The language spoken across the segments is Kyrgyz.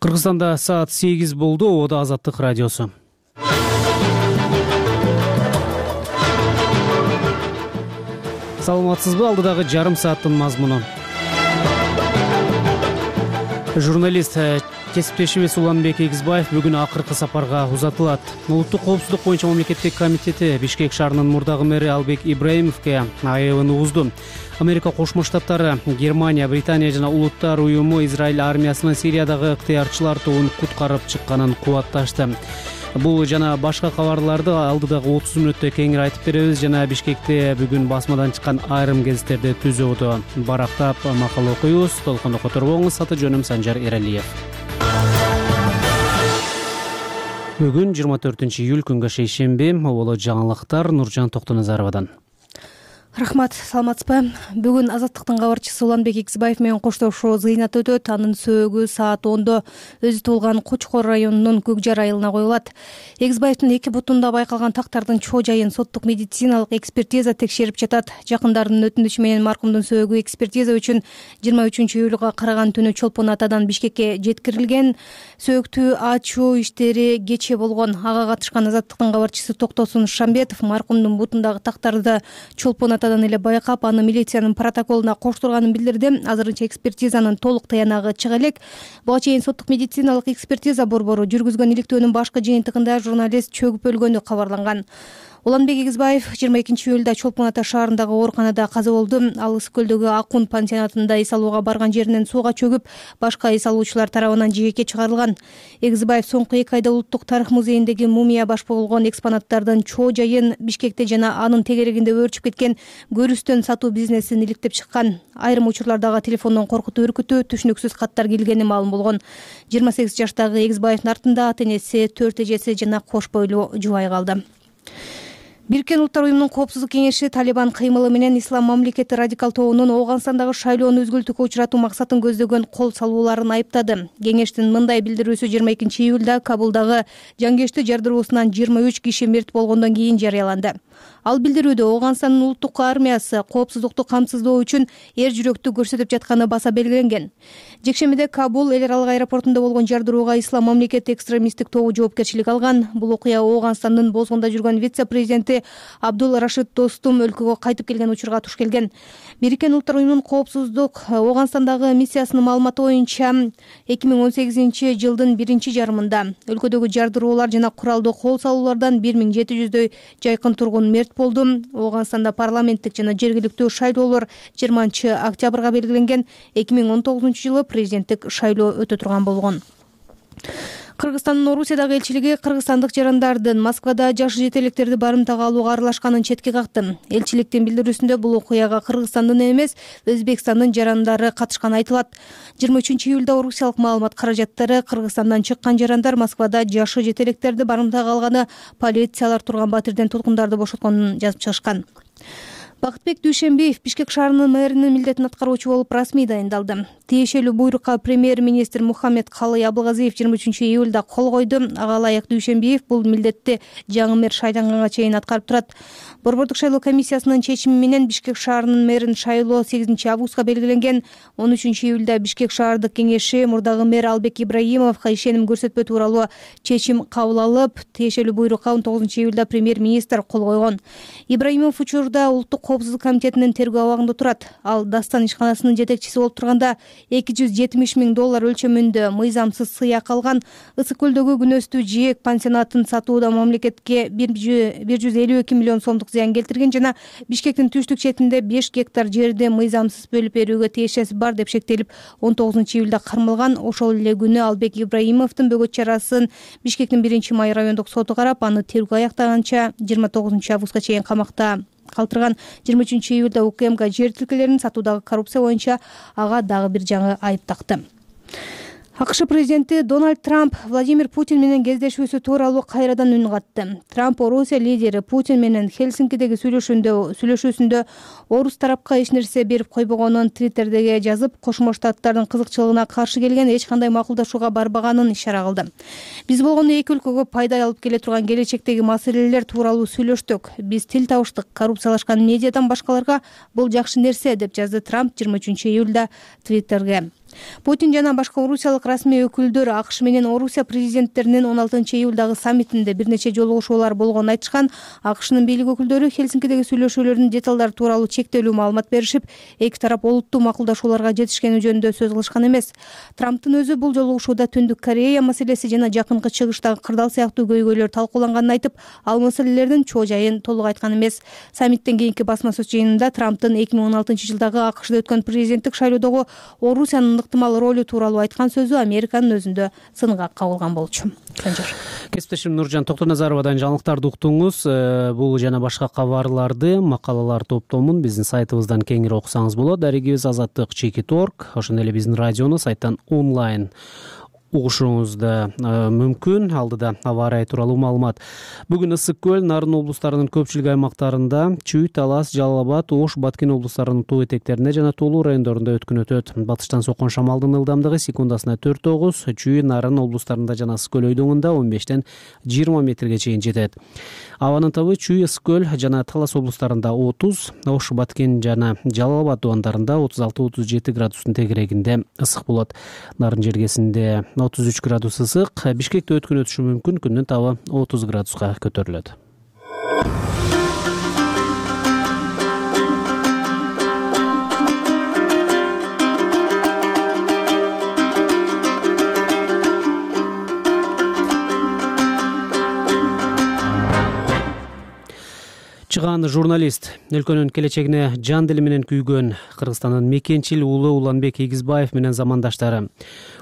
Кыргызстанда саат 8 болду. Ободо Азаттык радиосу. Саламатсызбы? Алдыдагы жарым сааттын мазмуну. Журналист кесиптешибиз Уланбек Эгизбаев бүгүн акыркы сапарга узатылат. Улуттук коопсуздук боюнча мамлекеттик комитети Бишкек шаарынын мурдагы мэри Албек Ибраимовго айыбын угузду. Америка Кошмо Штаттары, Германия, Британия жана Улуттар уюму Израиль армиясынын Сириядагы ыктыярчылар тобун куткарып чыкканын кубатташты. Бул жана башка кабарларды алдыдагы 30 мүнөттө кеңири айтып беребиз. Жана Бишкекте бүгүн басмадан чыккан айрым гезиттерди түзүүдө барактап макала окуйбуз. Толкунду которбоңуз. Аты жөнүм Санжар Эралиев. Бүгүн 24-июль күнгө шейшемби. Оболо жаңылыктар Нуржан Токтоназаровадан. Рахмат, саламатсызбы? Бүгүн Азаттыктын кабарчысы Уланбек Эгизбаев менен коштошуу зыйнат өтөт. Анын сөөгү саат 10-до өзү туулган Кочкор районунун Көкжар айылына коюлат. Эгизбаевдин эки бутунда байкалган тактардын чоо жайын соттук медициналык экспертиза текшерип жатат. Жакындарынын өтүнүчү менен маркумдун сөөгү экспертиза үчүн 23-июлга караган түнү Чолпон Атадан Бишкекке жеткирилген. Сөөктү ачуу иштери кечээ болгон. Ага катышкан Азаттыктын кабарчысы Токтосун Шамбетов маркумдун бутундагы тактарды Чолпон Атадан эле байкап, аны милициянын протоколуна коштурганын билдирди. Азырынча экспертизанын толук таянагы чыга элек. Буга чейин соттук медициналык экспертиза борбору жүргүзгөн иликтөөнүн башкы жыйынтыгында журналист чөгүп өлгөнү кабарланган. Уланбек Эгизбаев 22-июлда Чолпон Ата шаарындагы ооруканада каза болду. Ал Ысык көлдөгү Акун пансионатында эс алууга барган жеринен сууга чөгүп, башка эс алуучулар тарабынан жээкке чыгарылган. Эгизбаев соңку 2 айда Улуттук тарых музейиндеги мумия баш болгон экспонаттардын чоо жайын, Бишкекте жана анын тегерегинде өөрчүп кеткен көрүстөн сатуу бизнесин иликтеп чыккан. Айрым учурлардагы телефондон коркутуу, үркүтүү, түшүнүксүз каттар келгени маалым болгон. 28 жаштагы Эгизбаевдин артында ата-энеси, 4 эжеси жана кош бойлуу жубай калды. Бириккен Улуттар уюмунун коопсуздук кеңеши Талибан кыймылы менен Ислам мамлекети радикал тобунун Ооганстандагы шайлоону үзгүлтүүгө учуратуу максатын көздөгөн кол салууларын айыптады. Кеңештин мындай билдирүүсү 22-июлда Кабулдагы жангештүү жардыруусунан 23 киши мерт болгондон кийин жарыяланды. Ал билдирүүдө Ооганстандын улуттук армиясы коопсуздукту камсыздоо үчүн эр жүрөктүү көрсөтүп жатканы баса белгиленген. Жекшемиде Кабул эл аралык аэропортунда болгон жардырууга Ислам мамлекети экстремисттик тобу жоопкерчилик алган. Бул окуя Ооганстандын бозгунда жүргөн вице-президенти Абдул Рашид Достум өлкөгө кайтып келген учурга туш келген. Бириккен Улуттар уюмунун коопсуздук Ооганстандагы миссиясынын маалыматы боюнча 2018-жылдын биринчи жарымында өлкөдөгү жардыруулар жана куралдуу кол салуулардан 1700дөй жайкын тургун мерт болду. Ооганстанда парламенттик жана жергиликтүү шайлоолор 20-октябрга белгиленген. 2019-жылы президенттик шайлоо өтө турган болгон. Кыргызстандын Орусиядагы элчилиги кыргызстандык жарандардын Москвада жаш жетелектерди барымтага алууга аралашканын четке какты. Элчиликтин билдирүүсүндө бул окуяга Кыргызстандын эмес, Өзбекстандын жарандары катышканы айтылат. 23-июлда орусиялык маалымат каражаттары Кыргызстандан чыккан жарандар Москвада жашы жетелектерди барымтага алганы, полициялар турган батирден туткундарды бошотконун жазып чыгышкан. Бакытбек Дүйшенбиев Бишкек шаарынын мэринин милдетин аткаруучу болуп расмий дайындалды. Тиешелүү буйрукка премьер-министр Мухаммед Калый Абылгазиев 23-июлда кол койду. Ага ылайык Дүйшенбиев бул милдетти жаңы мэр шайланганга чейин аткарып турат. Борбордук шайлоо комиссиясынын чечими менен Бишкек шаарынын мэрин шайлоо 8-августка белгиленген. 13-июлда Бишкек шаардык кеңеши мурдагы мэр Албек Ибраимовго ишеним көрсөтпөө тууралуу чечим кабыл алып, тиешелүү буйрукка 19-июлда премьер-министр кол койгон. Ибраимов учурда улуттук коопсуздук комитетинин тергөө абагында турат. Ал Дастан ишканасынын жетекчиси болуп турганда $270 000 өлчөмүндө мыйзамсыз сыяк алган. Ысык көлдөгү күнөстүү жээк пансионатын сатууда мамлекетке 152 миллион сомдук зыян келтирген жана Бишкектин түштүк четинде 5 гектар жерди мыйзамсыз бөлүп берүүгө тиешеси бар деп шектелип 19-июлда кармалган. Ошол эле күнү Албек Ибраимовдун бөгөт чарасын Бишкектин 1-май райондук соту карап, аны тергөө аяктаганча 29-августка чейин камакта калтырган. 23-июлда УКМК жер тилкелерин сатуудагы коррупция боюнча ага дагы бир жаңы айып такты. АКШ президенти Дональд Трамп Владимир Путин менен кездешүүсү тууралуу кайрадан үн катты. Трамп Орусия лидери Путин менен Хельсинкидеги сүйлөшүүсүндө орус тарапка эч нерсе берип койбогонун Твиттердеги жазып, Кошмо Штаттардын кызыкчылыгына каршы келген, эч кандай макулдашууга барбаганын ишара кылды. Биз болгондо эки өлкөгө пайда алып келе турган келечектеги маселелер тууралуу сүйлөштүк. Биз тил табыштык. Коррупциялашкан медиадан башкаларга бул жакшы нерсе, деп жазды Трамп 23-июлда Твиттерге. Путин жана башка орусиялык расмий өкүлдөр АКШ менен Орусия президенттеринин 16-июлдагы саммитинде бир нече жолугушуулар болгонун айтышкан. АКШнын бийлик өкүлдөрү Хельсинкидеги сүйлөшүүлөрдүн деталдары тууралуу чектелүү маалымат беришип, эки тарап олуттуу макулдашууларга жетишкени жөнүндө сөз кылышкан эмес. Трамптын өзү бул жолугушууда Түндүк Корея маселеси жана Жакынкы Чыгыштагы кырдаал сыяктуу көйгөйлөр талкууланганын айтып, ал маселелердин чоо жайын толук айткан эмес. Саммиттен кийинки басма сөз жыйынында Трамптын 2016-жылдагы АКШда өткөн президенттик шайлоодогу Орусиянын ыктымал ролу тууралуу айткан сөзү Американын өзүндө сынга кабылган болчу. Кесиптешим Нуржан Токтоназаровадан жаңылыктарды уктуңуз. Бул жана башка кабарларды, макалалар топтомун биздин сайтыбыздан кеңири окусаңыз болот. Дарегибиз azatlyk.org. Ошондой эле биздин радиону сайттан онлайн угушуңуз да мүмкүн. Алдыда аба ырайы тууралуу маалымат. Бүгүн Ысык көл, Нарын облустарынын көпчүлүк аймактарында, Чүй, Талас, Жалал абад, Ош, Баткен облустарынын тоо этектеринде жана тоолуу райондорунда өткөн өтөт. Батыштан соккон шамалдын ылдамдыгы секундасына 4-9, Чүй, Нарын облустарында жана Ысык көл өйдөңүндө 15 20 метрге чейин жетет. Абанын табы Чүй, Ысык көл жана Талас облустарында 30, Ош, Баткен жана Жалал абад дубандарында 36-37 градустун тегерегинде ысык болот. Нарын жергесинде 33 градус ысык, Бишкекте өткөн өтүшү мүмкүн, күндүн табы 30 градуска көтөрүлөт. Чыгаан журналист, өлкөнүн келечегине жан дили менен күйгөн Кыргызстандын мекенчил уулу Уланбек Эгизбаев менен замандаштары,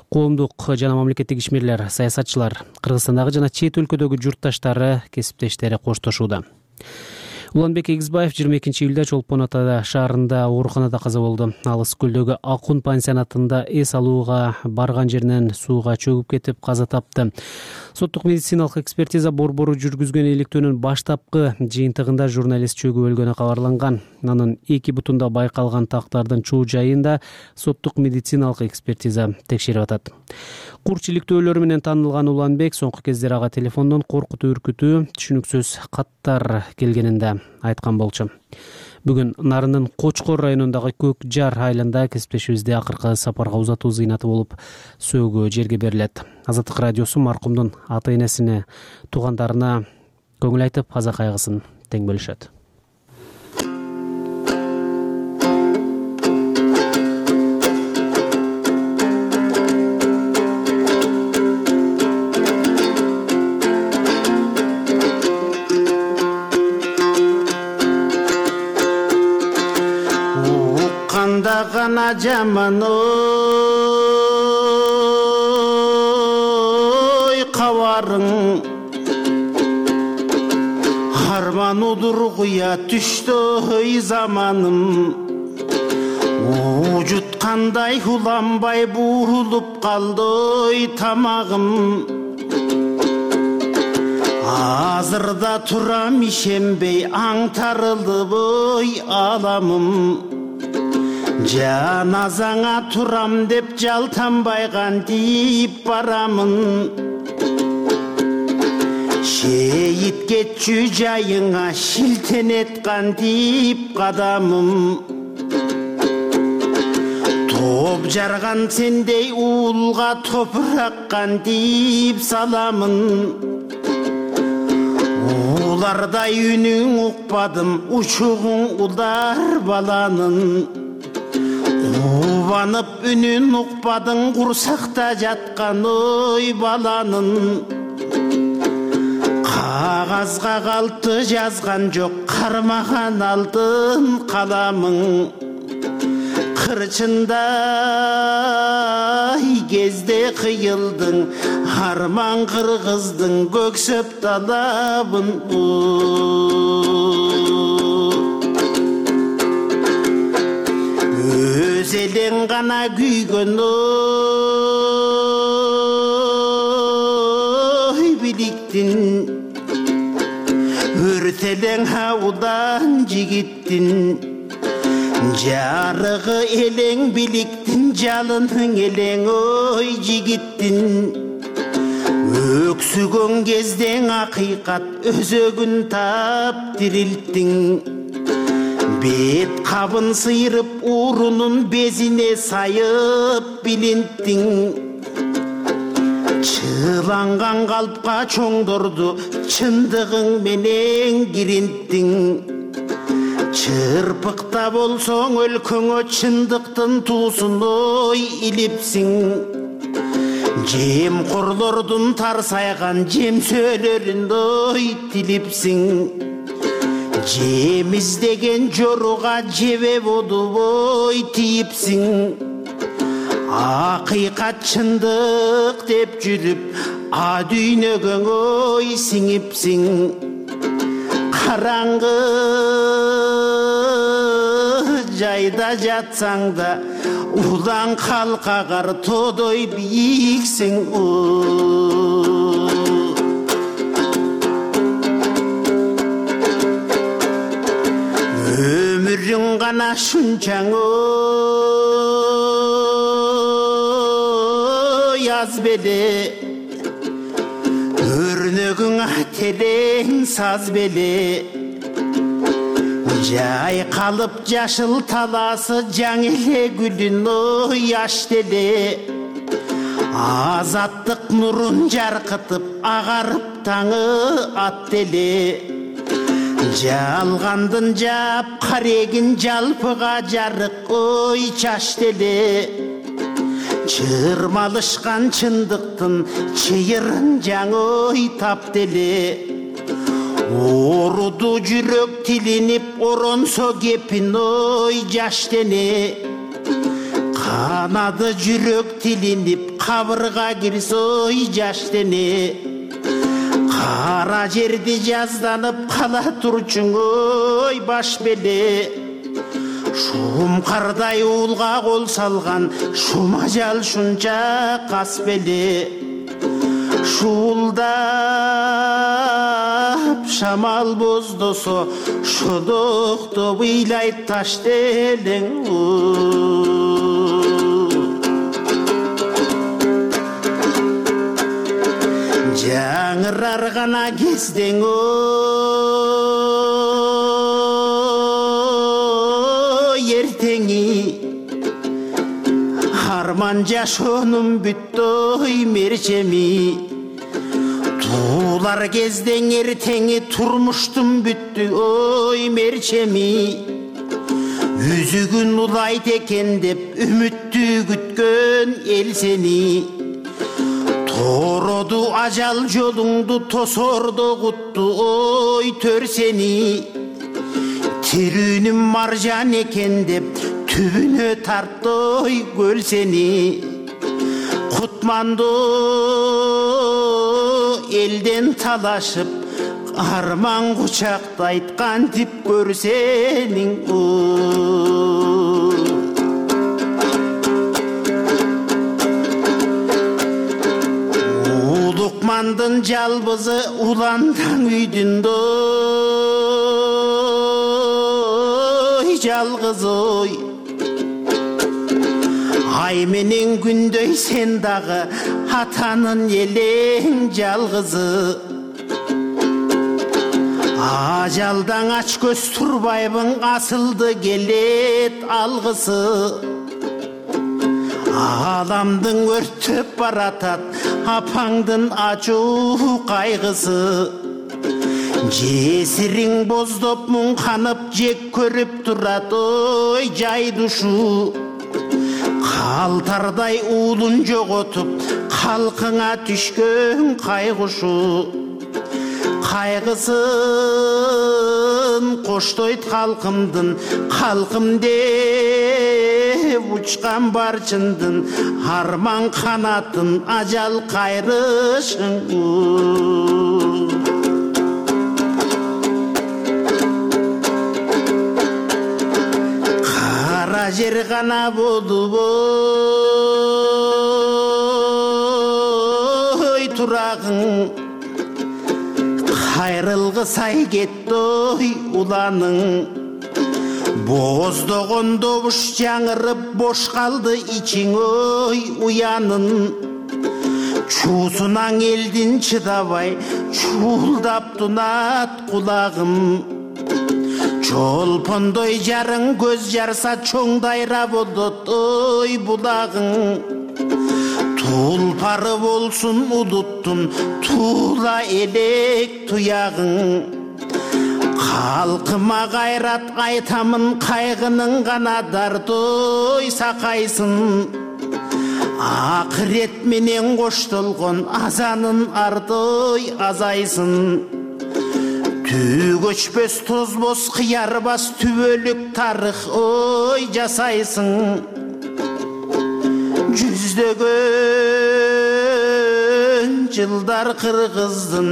коомдук жана мамлекеттик ишмерлер, саясатчылар, Кыргызстандагы жана чет өлкөдөгү журтташтары, кесиптештери коштошууда. Уланбек Эгизбаев 22-июлда Чолпон Ата шаарында ооруканада каза болду. Ал Ысык көлдөгү Акун пансионатында эс алууга барган жеринен сууга чөгүп кетип каза тапты. Соттук медициналык экспертиза борбору жүргүзгөн иликтөөнүн баштапкы жыйынтыгында журналист чөгүп өлгөнү кабарланган. Анын эки бутунда байкалган тактардын чоо жайында соттук медициналык экспертиза текшерип атат. Курч иликтөөлөрү менен таанылган Уланбек соңку кездери ага телефондон коркутуу, үркүтүү, түшүнүксүз каттар келгенинде айткан болчу. Бүгүн Нарындын Кочкор районундагы Көк Жар айылында кесиптешибизде акыркы сапарга узатуу зыйнаты болуп, сөөгө жерге берилет. Азаттык радиосу маркумдун ата-энесине, туугандарына көңүл айтып, аза кайгысын тең бөлүшөт. Гана жаман кабарың арман удургуя түштөй заманым жуткандай уланбай буурулуп калды тамагым азырда турам ишенбей аңтарылды аламым жаназаңа турам деп жалтанбай кантип барамын шейит кетчү жайыңа шилтенет кантип кадамым топ жарган сендей уулга топурак кантип саламын улардай үнүң укпадым учугуң улдар баланын Убанып үнүн укпадың курсакта жаткан ой баланын кагазга калты жазган жок кармаган алтын каламың кырчындай кезде кыйылдың арман кыргыздың көксөп талабын өз элең гана күйгөн ой биликтин өртелең аудан жигиттин жарыгы элең биликтин жалының элең ой жигиттин өксүгөн кездең акыйкат өзөгүн тап дирилттиң бет кабын сыйрып урунун безине сайып билинттиң. Чыланган калпка чоңдорду чындыгың менен киринттиң. Чырпыкта болсоң өлкөңө чындыктын туусун ой илипсиң. Жемкорлордун тарсайган жемсөлөрүн ой тилипсиң. Жем издеген жоруга жебе болуп ой тийипсиң. Акыйкат чындык деп жүрүп а дүйнөгөң ой сиңипсиң. Караңгы жайда жатсаң да улан калкагар тодой бийиксиң. Өмүрүң гана шунчаң аз беле, өрнөгүң терең саз беле. Жайкалып жашыл таласы жаң эле гүлүн ой аш деле. Азаттык нурун жаркытып агарып таңы ат деле. Жалгандын жап карегин жалпыга жарык ой чаш деле. Чырмалышкан чындыктын чыйырын жаң ой тап деле. Оруду жүрөк тилинип оронсо кепин ой жаш дене. Канады жүрөк тилинип кабырга кирсе ой жаш дене. Кара жерди жазданып кала турчуң ой баш беле. Шум кардай уулга кол салган шум ажал шунча кас беле. Шуулдап шамал боздосо шодокто ыйлайт таш делең. Жаңырар гана кездең ертеңи. Арман жашоонун бүттү ой мерчеми. Туулар кездең эртеңи турмуштун бүттү ой мерчеми. Үзүгүн улайт экен деп үмүттү күткөн эл сени. Тороду ажал жолуңду тосордо кутту ой төр сени. Тирүүнүн маржан экен деп түбүнө тартты ой көл сени. Кутманды элден талашып арман кучактайт кантип көрсениң. Улукмандын жалбызы уландан үйдүндө жалгыз ой. Ай менен күндөй сен дагы атанын элең жалгызы. Ажалдан ач көз турбайбын асылды келет алгысы. Аламдың өрттөп баратат апаңдын ачуу кайгысы. Жесириң боздоп муңканып жек көрүп турат ой жайдушу. Калтардай уулун жоготуп калкыңа түшкөн кайгушу. Кайгысын коштойт калкымдын калкым деп учкан барчындын арман канатын ажал кайрышың. Кара жер гана болуп ой турагың. Кайрылгысай кетти ой уланың. Боздогон добуш жаңырып бош калды ичиң ой уянын. Чуусунаң элдин чыдабай чуулдап тунат кулагым. жолпондой жарың көз жарса чоң дайра болот ой булагың. Тулпары болсун удуттун тула элек туягың. Халкыма кайрат айтамын кайгынын гана дардой сакайсын. Акырет менен коштолгон азанын ардой азайсын. Түү көчпөс тозбос кыярбас түбөлүк тарых ой жасайсың. Жүздөгөн жылдар кыргыздын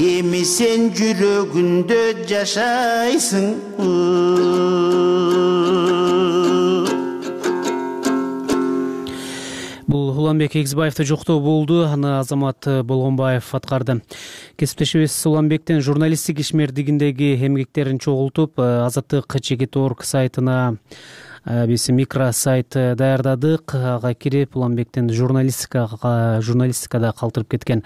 эми сен жүрөгүндө жашайсың. Бул Уланбек Эгизбаевди жоктоо болду, аны Азамат Болгонбаев аткарды. Кесиптешибиз Уланбектен журналисттик ишмердигиндеги эмгектерин чогултуп, Азаттык Чекит.org сайтына биз микросайт даярдадык. Ага кирип Уланбектен журналистикада калтырып кеткен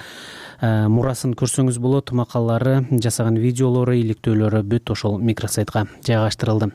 мурасын көрсөңүз болот. Макалалары, жасаган видеолору, иликтөөлөрү бүт ошол микросайтка жайгаштырылды.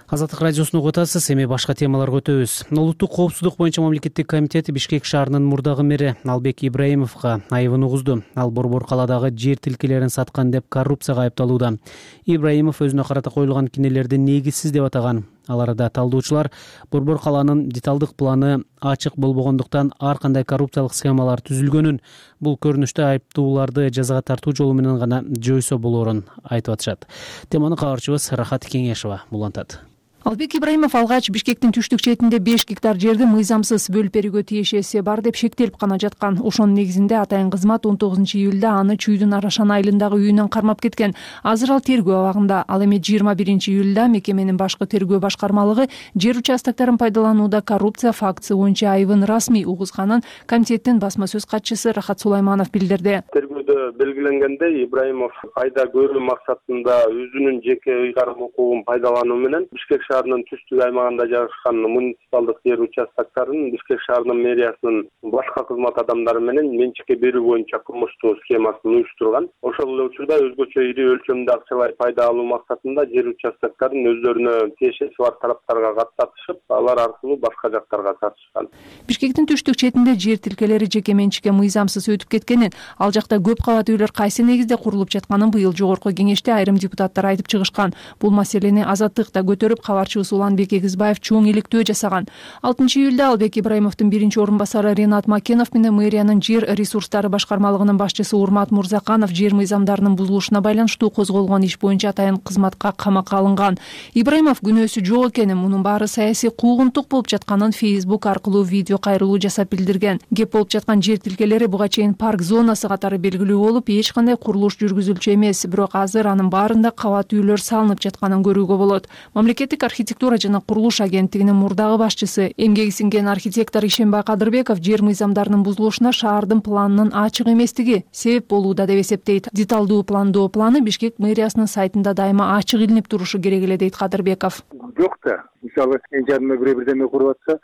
Азаттык радиосуну угуп атасыз. Эми башка темаларга өтөбүз. Улуттук коопсуздук боюнча мамлекеттик комитет Бишкек шаарынын мурдагы мэри Албек Ибраимовго айыбын угузду. Ал Борбор калаадагы жер тилкелерин саткан деп коррупцияга айыпталууда. Ибраимов өзүнө карата коюлган кинелерди негизсиз деп атаган. Ал арада талдоочулар Борбор калаанын деталдык планы ачык болбогондуктан ар кандай коррупциялык схемалар түзүлгөнүн, бул көрүнүштө айыптууларды жазага тартуу жолу менен гана жойсо болоорун айтып атышат. Теманы кабарчыбыз Рахат Кеңешова улантат. Албек Ибраимов алгач Бишкектин түштүк четинде 5 гектар жерди мыйзамсыз бөлүп берүүгө тиешеси бар деп шектелип гана жаткан. Ошонун негизинде атайын кызмат 19-июлда аны Чүйдүн Арашан айылындагы үйүнөн кармап кеткен. Азыр ал тергөө абагында. Ал эми 21-июлда мекеменин башкы тергөө башкармалыгы жер участокторун пайдаланууда коррупция фактысы боюнча айыбын расмий угузганын комитеттин басма сөз катчысы Рахат Сулайманов билдирди. Тергөөдө белгиленгендей, Ибраимов пайда көрүү максатында өзүнүн жеке ыйгарым укугун пайдалануу менен Бишкек шаарынын түштүк аймагында жайгашкан муниципалдык жер участокторун Бишкек шаарынын мэриясынын башка кызмат адамдары менен менчикке берүү боюнча кылмыштуу схемасын уюштурган. Ошол эле учурда өзгөчө ири өлчөмдө акчалай пайда алуу максатында жер участокторун өздөрүнө тиешеси бар тараптарга каттатышып, алар аркылуу башка жактарга сатышкан. Бишкектин түштүк четинде жер тилкелери жеке менчикке мыйзамсыз өтүп кеткенин, ал жакта көп кабат үйлөр кайсы негизде курулуп жатканын быйыл жогорку кеңеште айрым депутаттар айтып чыгышкан. Бул маселени Азаттыкта көтөрүп, кабарчыбыз Уланбек Эгизбаев чоң иликтөө жасаган. 6-июлда Албек Ибраимовдун биринчи орун басары Ренат Макенов менен мэриянын жер ресурстары башкармалыгынын башчысы Урмат Мурзаканов жер мыйзамдарынын бузулушуна байланыштуу козголгон иш боюнча атайын кызматка камакка алынган. Ибраимов күнөөсү жок экенин, мунун баары саясий куугунтук болуп жатканын Facebook аркылуу видео кайрылуу жасап билдирген. Кеп болуп жаткан жер тилкелери буга чейин парк зонасы катары белгилүү болуп, эч кандай курулуш жүргүзүлчү эмес, бирок азыр анын баарында кабат үйлөр салынып жатканын көрүүгө болот. Мамлекеттик архитектура жана курулуш агенттигинин мурдагы башчысы, эмгеги сиңген архитектор Ишенбай Кадырбеков жер мыйзамдарынын бузулушуна шаардын планынын ачык эместиги себеп болууда деп эсептейт. Деталдуу пландоо планы Бишкек мэриясынын сайтында дайыма ачык илинип турушу керек эле дейт Кадырбеков. Жок да, мисалы жаныма бирдеме куруп атса,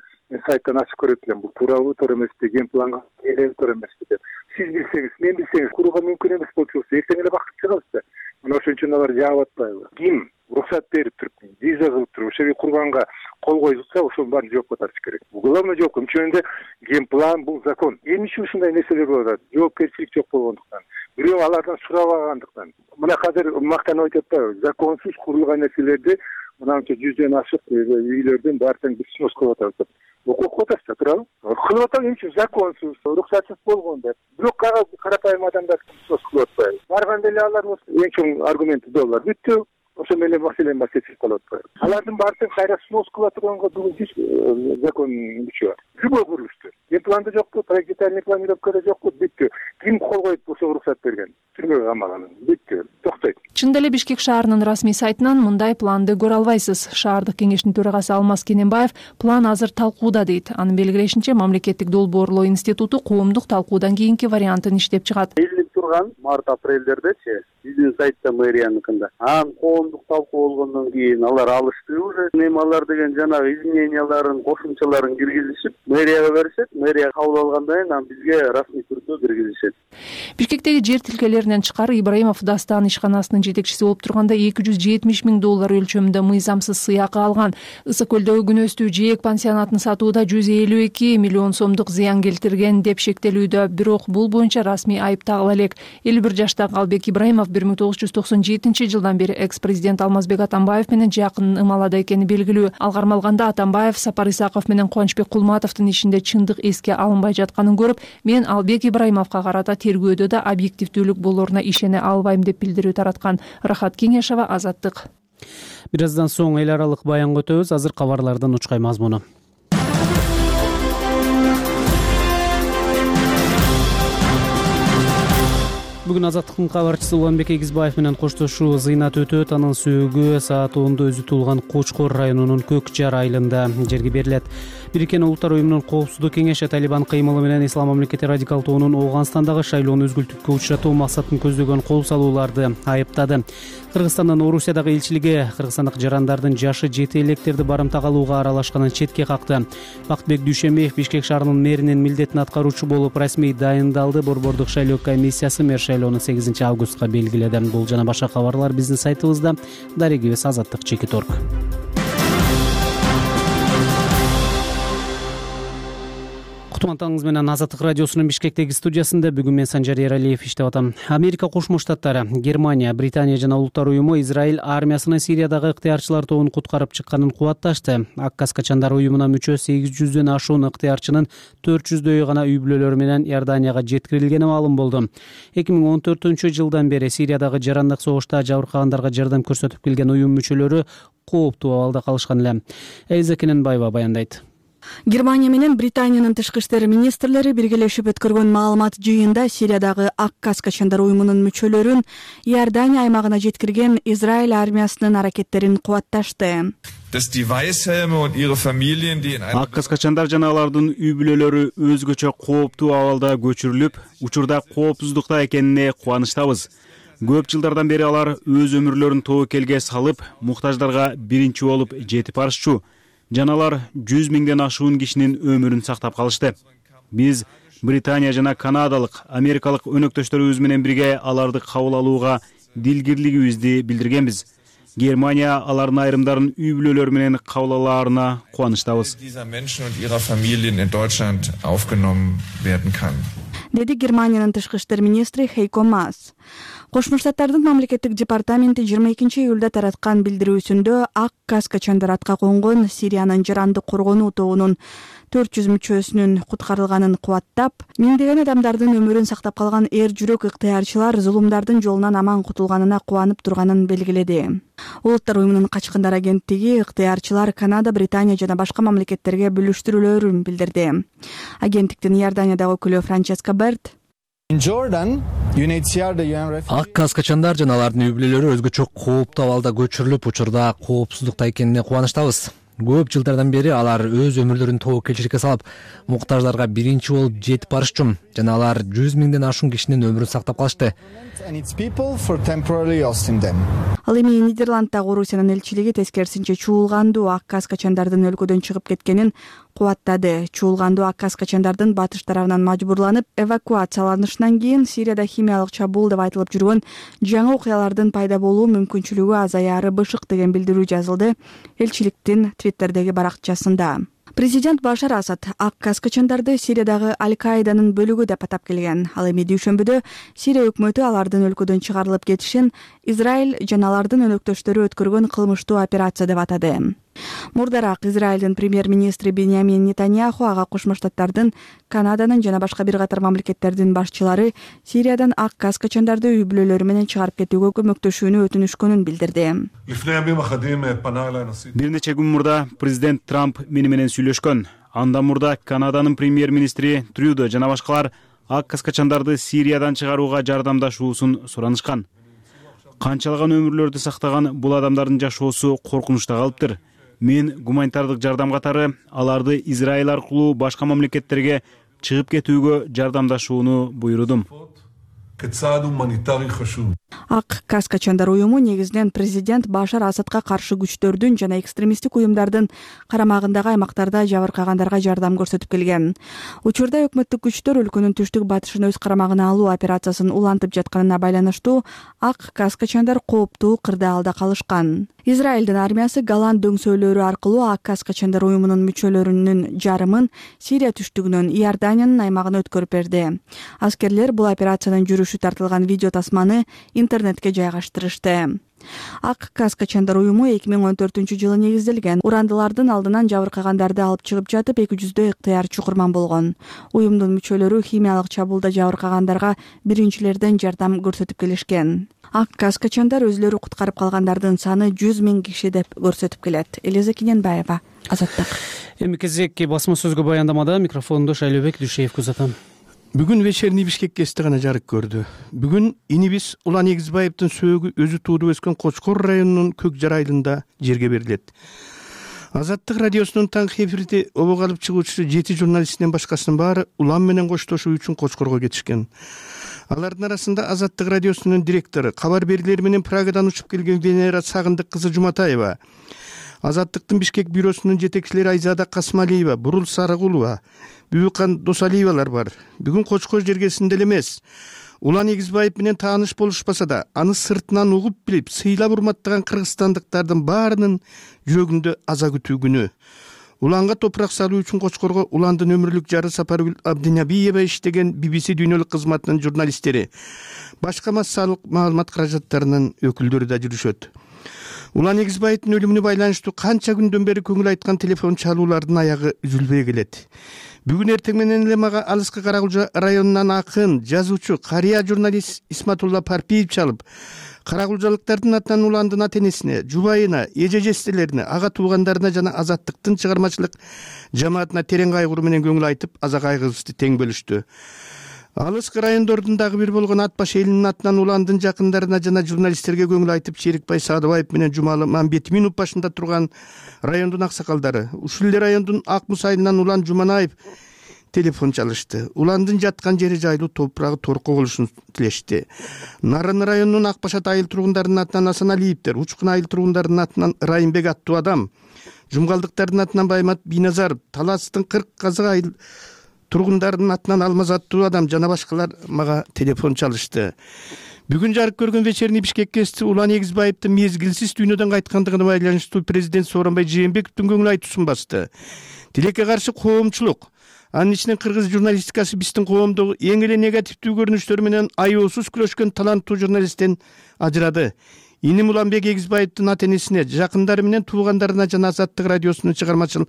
сайттан ачып көрөт элем. Бул туурабы, туура эмеспи, ген планга туура эмеспи деп. Сиз билсеңиз, мен билсеңиз, курууга мүмкүн эмес болчу болсо, эртең эле бакыт чыгабыз да. Мына ошон үчүн алар жаап атпайбы? Ким уруксат берип туруп, виза кылып туруп, ошо курганга кол койгузса, ошонун баарын жоопко тартыш керек. Главное жоопко. Үчүнчүдө ген план бул закон. Эмне ушундай нерселер болуп атат? Жоопкерчилик жок болгондуктан. Бирөө алардан сурабагандыктан. Мына азыр мактанып айтып атпайбы? Законсуз курулган нерселерди мынанча 100дөн ашык үйлөрдүн баарын биз сноска кылып атабыз. Окуп атасыздар, туурабы? Кылып атабыз, эмне законсуз, уруксатсыз болгон деп. Бирок карапайым адамдар сноска кылып атпайбы? Барганда эле алар эң чоң аргументи доллар бүттү. Ошо менен маселе чечилип калып атпайбы? Алардын баарын кайра сноска кыла турганга бүгүн эч закон күчү бар. Любой курулушту. Планда жокпу, проектный планировкада жокпу, бүттү. Ким кол коюп ошо уруксат берген? Түрмөгө камаган. Бүттү. Токтойт. Чындап эле Бишкек шаарынын расмий сайтынан мындай планды көрө албайсыз. Шаардык кеңештин төрагасы Алмаз Кененбаев план азыр талкууда дейт. Анын белгилешинче, мамлекеттик долбоорлоо институту коомдук талкуудан кийинки вариантын иштеп чыгат. турган март-апрелдердечи биздин сайтта мэрияныкында. Анан коомдук талкуу болгондон кийин алар алышты уже. Алар деген жанагы измененияларын, кошумчаларын киргизишип, мэрияга беришет. Мэрия кабыл алгандан кийин анан бизге расмий түрдө киргизишет. Бишкектеги жер тилкелеринен тышкары Ибраимов Дастан ишканасынын жетекчиси болуп турганда $270,000 өлчөмүндө мыйзамсыз сыйакы алган. Ысык көлдөгү күнөстүү жээк пансионатын сатууда $152 миллион сомдук зыян келтирген деп шектелүүдө. Бирок бул боюнча расмий айып тагыла элек. 51 жаштагы Албек Ибраимов 1997 жылдан бери экс-президент Алмазбек Атамбаев менен жакын ымалада экени белгилүү. Ал кармалганда Атамбаев Сапар Исаков менен Кубанычбек Кулматовдун ишинде чындык эске алынбай жатканын көрүп, мен Албек Ибраимовго карата тергөөдө да объективдүүлүк болоруна ишене албайм деп билдирүү тараткан. Рахат Кеңешова, Азаттык. Бир аздан соң эл аралык баянга өтөбүз. Азыр кабарлардын учкай мазмуну. Бүгүн Азаттыктын кабарчысы Уланбек Эгизбаев менен коштошуу зыйнат өтөт. Анын сөөгү саат 10:00 өзү туулган Кочкор районунун Көкжар айылында жерге берилет. Бириккен Улуттар уюмунун коопсуздук кеңеши Талибан кыймылы менен Ислам мамлекети радикал тобунун Ооганстандагы шайлоону өзгүлтүккө учуратуу максатын көздөгөн кол салууларды айыптады. Кыргызстандын Орусиядагы элчилиги кыргызстандык жарандардын жашы жете электерди барымтага алууга аралашканын четке какты. Бактыбек Дүйшөмбиев Бишкек шаарынын мэринин милдетин аткаруучу болуп расмий дайындалды. Борбордук шайлоо комиссиясы мэр шайлоону 8 августка белгиледи. Бул жана башка кабарлар биздин сайтыбызда. Дарегибиз Азаттык.org. Кутмантаңыз менен Азаттык радиосунун Бишкектеги студиясында бүгүн мен Санжар Эралиев иштеп атам. Америка Кошмо Штаттары, Германия, Британия жана Улуттар уюму Израиль армиясынын Сириядагы ыктыярчылар тобун куткарып чыкканын кубатташты. Ак Качандар уюмуна мүчө 800дөн ашуун ыктыярчынын 400дөйү гана үй бүлөлөрү менен Иорданияга жеткирилгени маалым болду. 2014-жылдан бери Сириядагы жарандык согушта жабыркагандарга жардам көрсөтүп келген уюм мүчөлөрү кооптуу абалда калышкан эле. Элиза Кененбаева баяндайт. Германия менен Британиянын тышкы иштер министрлери биргелешип өткөргөн маалымат жыйында Сириядагы Ак Качандар уюмунун мүчөлөрүн Иордания аймагына жеткирген Израиль армиясынын аракеттерин кубатташты. Ак Качандар жана алардын үй бүлөлөрү өзгөчө кооптуу абалда көчүрүлүп, учурда коопсуздукта экенине кубанычтабыз. Көп жылдардан бери алар өз өмүрлөрүн тобокелге салып, муктаждарга биринчи болуп жетип барышчу. Жаналар 100 миңден ашуун кишинин өмүрүн сактап калышты. Биз Британия жана канадалык, америкалык өнөктөштөрүбүз менен бирге аларды кабыл алууга дилгирлигибизди билдиргенбиз. Германия алардын айрымдарын үй бүлөлөрү менен кабыл алаарына кубанычтабыз. Деди Германиянын тышкы иштер министри Хейко Маас. Кошмо Штаттардын мамлекеттик департаменти 22-июлда тараткан билдирүүсүндө Ак Качандар атка конгон Сириянын жарандык коргонуу тобунун 400 мүчөсүнүн куткарылганын кубаттап, миңдеген адамдардын өмүрүн сактап калган эр жүрөк ыктыярчылар зулумдардын жолунан аман кутулганына кубанып турганын белгиледи. Улуттар уюмунун качкындар агенттиги ыктыярчылар Канада, Британия жана башка мамлекеттерге бүлүштүрүлөөрүн билдирди. Агенттиктин Иорданиядагы өкүлү Франческа Берт Ак Качандар жана алардын үй бүлөлөрү өзгөчө кооптуу абалда көчүрүлүп, учурда коопсуздукта экенине кубанычтабыз. Көп жылдардан бери алар өз өмүрлөрүн тобокелчиликке салып, муктаждарга биринчи болуп жетип барышчу. Жана алар 100 миңден ашуун кишинин өмүрүн сактап калышты. Ал эми Нидерланддагы Орусиянын элчилиги тескерисинче чуулгандуу Ак Качандардын өлкөдөн чыгып кеткенин кубаттады. Чуулгандуу Ак Качандардын батыш тарабынан мажбурланып эвакуацияланышынан кийин Сирияда химиялык чабуул деп айтылып жүргөн жаңы окуялардын пайда болуу мүмкүнчүлүгү азаяры бышык деген билдирүү жазылды элчиликтин Твиттердеги баракчасында. Президент Башар Асад Ак Качандарды Сириядагы Аль-Каиданын бөлүгү деп атап келген. Ал эми дүйшөмбүдө Сирия өкмөтү алардын өлкөдөн чыгарылып кетишин Израиль жана алардын өнөктөштөрү өткөргөн кылмыштуу операция деп атады. Мурдараак Израилдин премьер-министри Беньямин Нетаньяху ага Кошмо Штаттардын, Канаданын жана башка бир катар мамлекеттердин башчылары Сириядан Ак Качандарды үй бүлөлөрү менен чыгарып кетүүгө көмөктөшүүнү өтүнүшкөнүн билдирди. Бир нече күн мурда президент Трамп мени менен сүйлөшкөн. Андан мурда Канаданын премьер-министри Трюдо жана башкалар Ак Качандарды Сириядан чыгарууга жардамдашуусун суранышкан. Канчалаган өмүрлөрдү сактаган бул адамдардын жашоосу коркунучта калыптыр. Мен гуманитардык жардам катары аларды Израиль аркылуу башка мамлекеттерге чыгып кетүүгө жардамдашууну буйрудум. כצעד הומניטרי חשוב. Ак Каскачандар уюму негизинен президент Башар Асадка каршы күчтөрдүн жана экстремисттик уюмдардын карамагындагы аймактарда жабыркагандарга жардам көрсөтүп келген. Учурда өкмөттүк күчтөр өлкөнүн түштүк батышын өз карамагына алуу операциясын улантып жатканына байланыштуу Ак Каскачандар кооптуу кырдаалда калышкан. Израилдин армиясы Голланд дөңсөөлөрү аркылуу Ак Каскачандар уюмунун мүчөлөрүнүн жарымын Сирия түштүгүнөн Иорданиянын аймагына өткөрүп берди. Аскерлер бул операциянын жүрүшү тартылган видео тасманы интернетке жайгаштырышты. Ак Каскачандар уюму 2014-жылы негизделген. Урандылардын алдынан жабыркагандарды алып чыгып жатып 200дөй ыктыярчы курман болгон. Уюмдун мүчөлөрү химиялык чабуулда жабыркагандарга биринчилерден жардам көрсөтүп келишкен. Ак Каскачандар өзлөрү куткарып калгандардын саны 100 000 киши деп көрсөтүп келет. Элиза Кененбаева, Азаттык. Эми кезек басма сөзгө баяндамада микрофонду Шайлообек Дүйшеевге узатам. Бүгүн вечерний Бишкек гезити гана жарык көрдү. Бүгүн инибиз Улан Эгизбаевдин сөөгү өзү туудуп өскөн Кочкор районунун Көк Жар айылында жерге берилет. Азаттык радиосунун таңкы эфирде обого алып чыгуучусу 7 журналисттен башкасынын баары Улан менен коштошуу үчүн Кочкорго кетишкен. Алардын арасында Азаттык радиосунун директору, кабар берүүлөр менен Прагадан учуп келген Венера Сагындык кызы Жуматаева, Азаттыктын Бишкек бюросунун жетекчилери Айзада Касмалиева, Бурул Сарыгулова, Бүбүкан Досалиевалар бар. Бүгүн Кочкор жергесинде эле эмес, Улан Эгизбаев менен тааныш болушпаса да, аны сыртынан угуп билип, сыйлап урматтаган кыргызстандыктардын баарынын жүрөгүндө аза күтүү күнү. Уланга топурак салуу үчүн Кочкорго Уландын өмүрлүк жары Сапаргүл Абдинабиева иштеген BBC дүйнөлүк кызматынын журналисттери, башка массалык маалымат каражаттарынын өкүлдөрү да жүрүшөт. Улан Эгизбаевдин өлүмүнө байланыштуу канча күндөн бери көңүл айткан телефон чалуулардын аягы үзүлбөй келет. Бүгүн эртең менен эле мага алыскы Каракулча районунан акын, жазуучу, карыя журналист Исматулла Парпиев чалып, каракулчалыктардын атынан Уландын ата-энесине, жубайына, эже-жестелерине, ага туугандарына жана Азаттыктын чыгармачылык жамаатына терең кайгыруу менен көңүл айтып, аза кайгыбызды тең бөлүштү. Алыскы райондордун дагы бир болгон Ат баш элинин атынан Уландын жакындарына жана журналисттерге көңүл айтып, Шерикбай Садыбаев менен Жумалы Мамбетиминов башында турган райондун аксакалдары, ушул эле райондун Ак Муз айылынан Улан Жуманаев телефон чалышты. Уландын жаткан жери жайлуу, топурагы торко болушун тилешти. Нарын районунун Ак Башат айыл тургундарынын атынан Асаналиевдер, Учкун айыл тургундарынын атынан Райымбек аттуу адам, Жумгалдыктардын атынан Баймат Бийназаров, Таластын 40 Казак айыл тургундарынын атынан Алмаз аттуу адам жана башкалар мага телефон чалышты. Бүгүн жарык көргөн вечерний Бишкек гезити Улан Эгизбаевдин мезгилсиз дүйнөдөн кайткандыгына байланыштуу президент Сооронбай Жээнбековдун көңүл айтуусун басты. Тилекке каршы коомчулук, анын ичинен кыргыз журналистикасы биздин коомдогу эң эле негативдүү көрүнүштөр менен аеосуз күрөшкөн таланттуу журналисттен ажырады. Иним Уланбек Эгизбаевдин ата-энесине, жакындары менен туугандарына жана Азаттык радиосунун чыгармачыл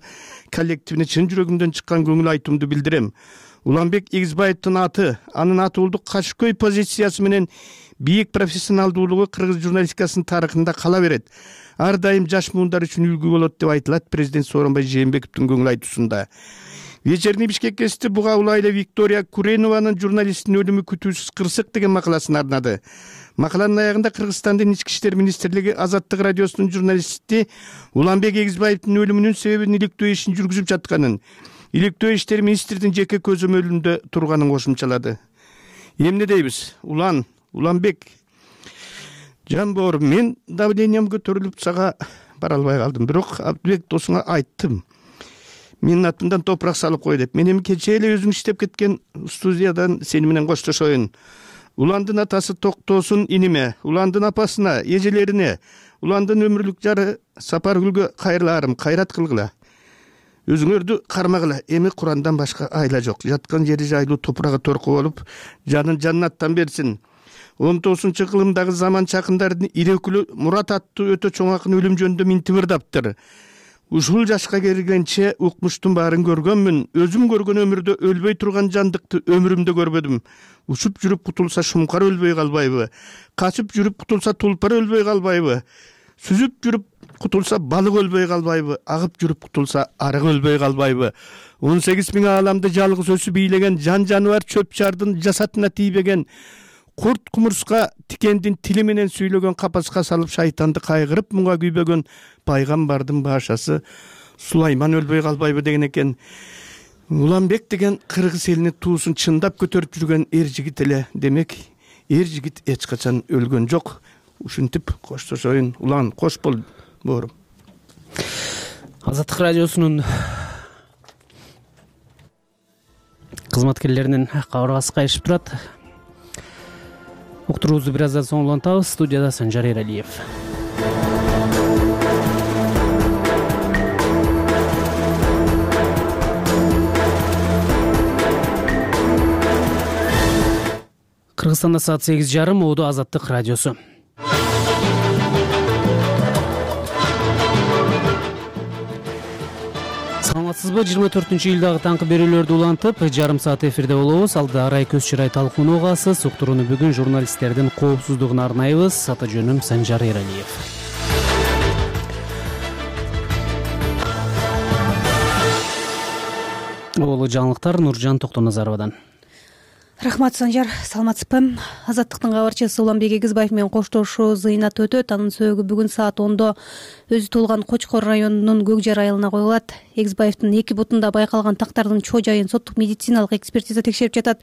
коллективине чын жүрөгүмдөн чыккан көңүл айтуумду билдирем. Уланбек Эгизбаевдин аты, анын атуулук кашкөй позициясы менен бийик профессионалдуулугу кыргыз журналистикасынын тарыхында кала берет. Ар дайым жаш муундар үчүн үлгү болот деп айтылат президент Сооронбай Жээнбековдун көңүл айтуусунда. Вечерний Бишкек гезити буга улайла Виктория Куренованын журналисттин өлүмү күтүүсүз кырсык деген макаласын арнады. Макаланын аягында Кыргызстандын ички иштер министрлиги Азаттык радиосунун журналисти Уланбек Эгизбаевдин өлүмүнүн себебин иликтөө ишин жүргүзүп жатканын, иликтөө иштери министрдин жеке көзөмөлүндө турганын кошумчалады. Эмне дейбиз? Уланбек, жан боорум, мен давлениям көтөрүлүп сага бара албай калдым. Бирок Абдыбек досуңа айттым. Менин атымдан топурак салып кой деп. Мен эми кечээ эле өзүң иштеп кеткен студиядан сени менен коштошоюн. Уландын атасы Токтосун иниме, Уландын апасына, эжелерине, Уландын өмүрлүк жары Сапаргүлгө кайрылаарым, кайрат кылгыла. Өзүңөрдү кармагыла. Эми Курандан башка айла жок. Жаткан жери жайлуу, топурагы торко болуп, жанын жаннаттан берсин. 19-кылымдагы заман чакындардын ири өкүлү Мурат аттуу өтө чоң акын өлүм жөнүндө минтип ырдаптыр. Ушул жашка келгенче укмуштун баарын көргөнмүн. Өзүм көргөн өмүрдө өлбөй турган жандыкты өмүрүмдө көрбөдүм. Учуп жүрүп кутулса шумкар өлбөй калбайбы? Качып жүрүп кутулса тулпар өлбөй калбайбы? Сүзүп жүрүп кутулса балык өлбөй калбайбы? Агып жүрүп кутулса арык өлбөй калбайбы? 18 000 ааламды жалгыз өсү бийлеген жан жаныбар чөп чардын жасатына тийбеген, курт кумурска тикендин тили менен сүйлөгөн капаска салып шайтанды кайгырып муңга күйбөгөн пайгамбардын башасы Сулайман өлбөй калбайбы деген экен. Уланбек деген кыргыз элинин туусун чындап көтөрүп жүргөн эр жигит эле. Демек, эр жигит эч качан өлгөн жок. Ушинтип коштошоюн. Улан кош бол боорум. Азаттык радиосунун кызматкерлеринин кабыргасы кайышып турат. Уктуруубузду бир аздан соң улантабыз. Студияда Санжар Эралиев. Кыргызстанда саат 8:30. Моодо Азаттык радиосу. Саламатсызбы? 24-июлдагы таңкы берүүлөрдү улантып, жарым саат эфирде болобуз. Алда арай көз чырай талкууну угасыз. Уктурууну бүгүн журналисттердин коопсуздугуна арнайбыз. Ата жөнүм Санжар Эралиев. Улуу жаңылыктар Нуржан Токтоназаровадан. Рахмат, Санжар. Саламатсызбы? Азаттыктын кабарчысы Уланбек Эгизбаев менен коштошуу зыйнат өтөт. Анын сөөгү бүгүн саат 10:00 өзү туулган Кочкор районунун Көкжар айылына коюлат. Эгизбаевдин эки бутунда байкалган тактардын чоо жайын соттук медициналык экспертиза текшерип жатат.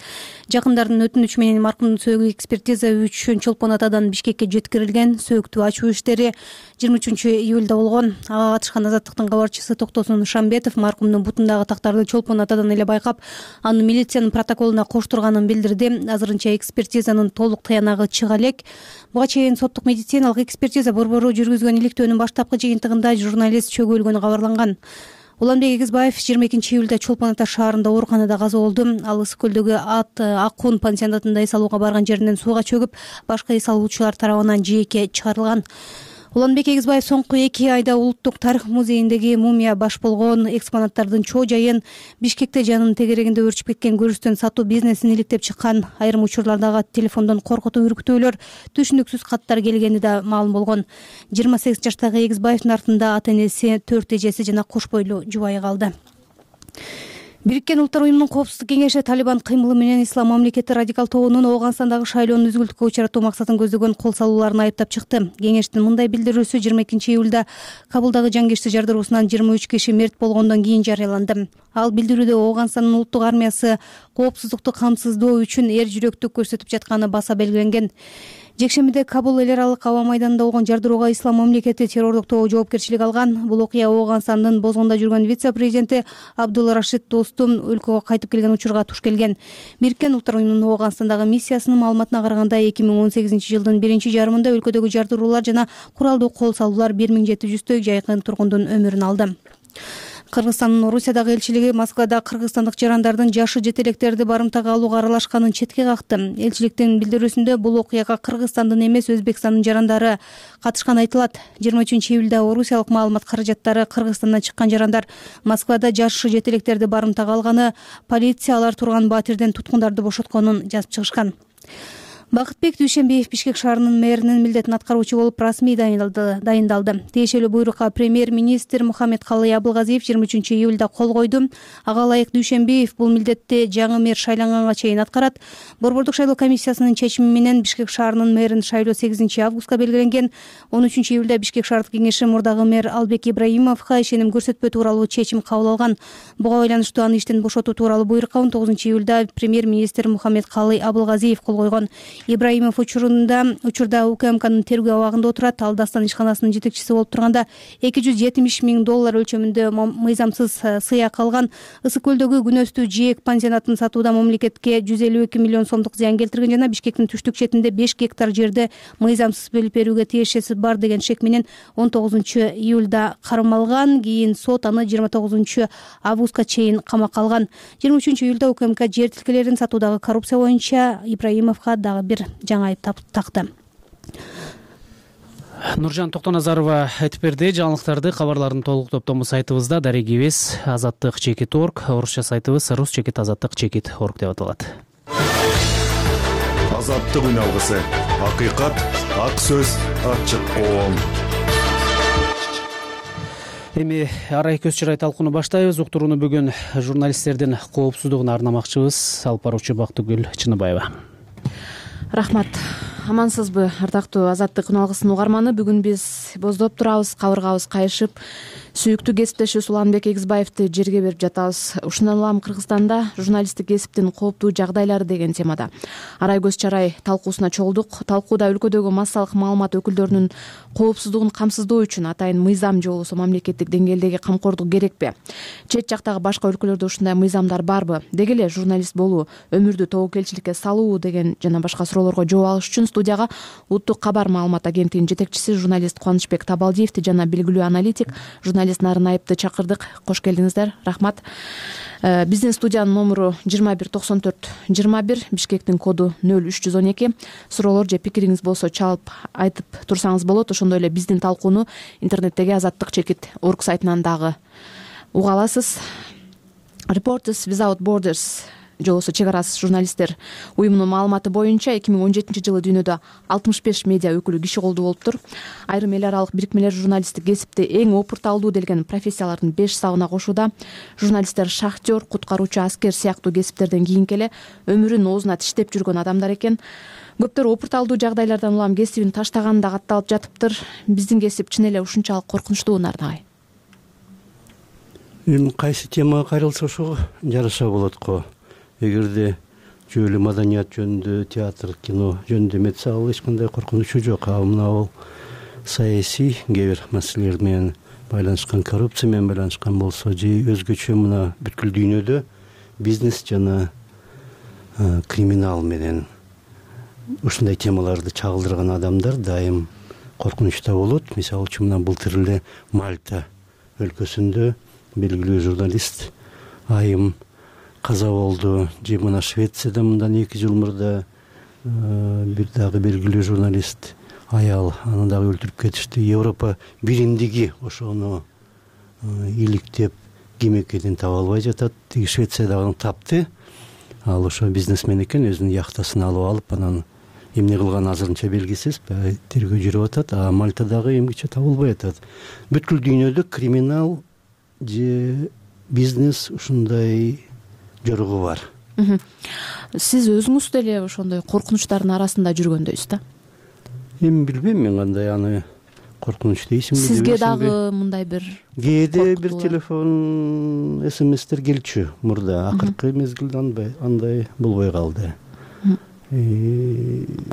Жакындардын өтүнүчү менен маркумдун сөөгү экспертиза үчүн Чолпон Атадан Бишкекке жеткирилген. Сөөктү ачуу иштери 23-июлда болгон. Ага катышкан Азаттыктын кабарчысы Токтосун Шамбетов маркумдун бутундагы тактарды Чолпон Атадан эле байкап, аны милициянын протоколуна коштурганын билдирди. Азырынча экспертизанын толук тыянагы чыга элек. Буга чейин соттук медициналык экспертиза борбору жүргүзгөн иликтөөнүн баштапкы жыйынтыгында журналист чөгөлгөнү кабарланган. Уланбек Эгизбаев 22-июлда Чолпон Ата шаарында ооруканада каза болду. Ал Ысык көлдөгү Аккун пансионатында эс алууга барган жеринен сууга чөгүп, башка эс алуучулар тарабынан жээкке чыгарылган. Уланбек Эгизбаев соңку 2 айда Улуттук тарых музейиндеги мумия баш болгон экспонаттардын чоо жайын, Бишкекте жанынын тегерегинде өрчүп кеткен көрүстөн сатуу бизнесин иликтеп чыккан. Айрым учурлардагы телефондон коркутуу үркүтүүлөр, түшүнүксүз каттар келгени да маалым болгон. 28 жаштагы Эгизбаевдин артында ата энеси, 4 эжеси жана кош бойлуу жубайы калды. Бириккен Улуттар уюмунун коопсуздук кеңеши Талибан кыймылы менен Ислам мамлекети радикал тобунун Ооганстандагы шайлоону үзгүлтүккө учуратуу максатын көздөгөн кол салууларын айыптап чыкты. Кеңештин мындай билдирүүсү 22-июлда Кабулдагы жангирчи жардыруусунан 23 киши мерт болгондон кийин жарыяланды. Ал билдирүүдө Ооганстандын улуттук армиясы коопсуздукту камсыздоо үчүн эр жүрөктүк көрсөтүп жатканы баса белгиленген. Жекшембиде Кабул эл аралык аба майданында болгон жардырууга Ислам мамлекети террордук тобу жоопкерчилик алган. Бул окуя Ооганстандын Бозгонда жүргөн вице-президенти Абдулла Рашид Достум өлкөгө кайтып келген учурга туш келген. Бириккен Улуттар уюмунун Ооганстандагы миссиясынын маалыматына караганда 2018-жылдын биринчи жарымында өлкөдөгү жардыруулар жана куралдуу кол салуулар 1700 жайкын тургундун өмүрүн алды. Кыргызстандын Орусиядагы элчилиги Москвада кыргызстандык жарандардын жашы жетелектерди барымтага алууга аралашканын четке какты. Элчиликтин билдирүүсүндө бул окуяга Кыргызстандын эмес, Өзбекстандын жарандары катышканы айтылат. 23-июлда орусиялык маалымат каражаттары Кыргызстандан чыккан жарандар Москвада жашы жетелектерди барымтага алганы, полиция алар турган батирден туткундарды бошотконун жазып чыгышкан. Бакытбек Дүйшенбиев Бишкек шаарынын мэринин милдетин аткаруучу болуп расмий дайындалды. Тиешелүү буйрукка премьер-министр Мухаммедкалый Абылгазиев 23-июлда кол койду. Ага ылайык Дүйшенбиев бул милдетти жаңы мэр шайланганга чейин аткарат. Борбордук шайлоо комиссиясынын чечими менен Бишкек шаарынын мэрин шайлоо 8-августка белгиленген. 13-июлда Бишкек шаардык кеңеши мурдагы мэр Албек Ибраимовго ишеним көрсөтпөө тууралуу чечим кабыл алган. Буга байланыштуу аны иштен бошотуу тууралуу буйрукка 19-июлда премьер-министр Мухаммедкалый Абылгазиев кол койгон. Ибраимов учурда УКМКнын тергөө абагында отурат. Ал Дастан ишканасынын жетекчиси болуп турганда $270 000 өлчөмүндө мыйзамсыз сыяк алган. Ысык көлдөгү күнөстүү жээк пансионатын сатууда мамлекетке 152 миллион сомдук зыян келтирген жана Бишкектин түштүк четинде 5 гектар жерди мыйзамсыз бөлүп берүүгө тиешеси бар деген шек менен 19-июлда кармалган. Кийин сот аны 29-августка чейин камакка алган. 23-июлда УКМК жер тилкелерин сатуудагы коррупция боюнча Ибраимовго дагы бир жаңы айып такты. Нуржан Токтоназарова айтып берди. Жаңылыктарды, кабарлардын толук топтому сайтыбызда дарегибиз azattik.org, орусча сайтыбыз rus.azattik.org деп аталат. Азаттык үн алгысы. Акыйкат, ак сөз, ачык коом. Эми арай көз чырай талкууну баштайбыз. Уктурууну бүгүн журналисттердин коопсуздугуна арнамакчыбыз. Алып баруучу Бактыгүл Чыныбаева. Рахмат. Амансызбы, ардактуу Азаттык үн алгысынын угарманы? Бүгүн биз боздоп турабыз, кабыргабыз кайышып, Сүйүктүү кесиптешибиз Уланбек Эгизбаевди жерге берип жатабыз. Ушундан улам Кыргызстанда журналисттик кесиптин кооптуу жагдайлары деген темада арай көз чарай талкуусуна чогулдук. Талкууда өлкөдөгү массалык маалымат өкүлдөрүнүн коопсуздугун камсыздоо үчүн атайын мыйзам же болбосо мамлекеттик деңгээлдеги камкордук керекпи? Чет жактагы башка өлкөлөрдө ушундай мыйзамдар барбы? Деги эле журналист болуу өмүрдү тобокелчиликке салуу деген жана башка суроолорго жооп алыш үчүн студияга Улуттук кабар маалымат агенттигинин жетекчиси журналист Кубанычбек Табалдиевди жана белгилүү аналитик журналист Нарын Айыпты чакырдык. Кош келдиңиздер. Рахмат. Биздин студиянын номуру 2194-21, Бишкектин коду 0312. Суроолор же пикириңиз болсо чалып айтып турсаңыз болот. Ошондой эле биздин талкууну интернеттеги Азаттык чекит орг сайтынан дагы уга аласыз. Reporters Without Borders же болбосо чек арасыз журналисттер уюмунун маалыматы боюнча 2017-жылы дүйнөдө 65 медиа өкүлү киши колдуу болуптур. Айрым эл аралык бирикмелер журналисттик кесипти эң опурталдуу делген профессиялардын 5 сабына кошууда. Журналисттер шахтер, куткаруучу, аскер сыяктуу кесиптерден кийинки эле өмүрүн оозуна тиштеп жүргөн адамдар экен. Көптөр опурталдуу жагдайлардан улам кесибин таштаганы да катталып жатыптыр. Биздин кесип чын эле ушунчалык коркунучтуу, Нарын агай? Эми кайсы темага кайрылса ошого жараша болот го. Эгерде жөн эле маданият жөнүндө, театр, кино жөнүндө эметсе, ал эч кандай коркунучу жок. Мына саясий кээ бир маселелер менен байланышкан, коррупция менен байланышкан болсо же өзгөчө мына бүткүл дүйнөдө бизнес жана криминал менен ушундай темаларды чагылдырган адамдар дайым коркунучта болот. Мисалы үчүн мына былтыр эле Мальта өлкөсүндө белгилүү журналист айым каза болду. Же мына Швецияда мындан 2 жыл мурда бир дагы белгилүү журналист аял, аны дагы өлтүрүп кетишти. Европа биримдиги ошону иликтеп ким экенин таба албай жатат. Швециядагы тапты. Ал ошо бизнесмен экен, өзүнүн яхтасын алып анан эмне кылган азырынча белгисиз, тергөө жүрүп атат. Мальтадагы эмгиче табылбай атат. Бүткүл дүйнөдө криминал же бизнес ушундай жоругу бар. Сиз өзүңүз деле ошондой коркунучтардын арасында жүргөндөйсүз да? Эми билбейм мен кандай аны коркунуч дейсиңби. Сизге дагы мындай бир кээде бир телефон, смстер келчү мурда, акыркы мезгилде андай болбой калды.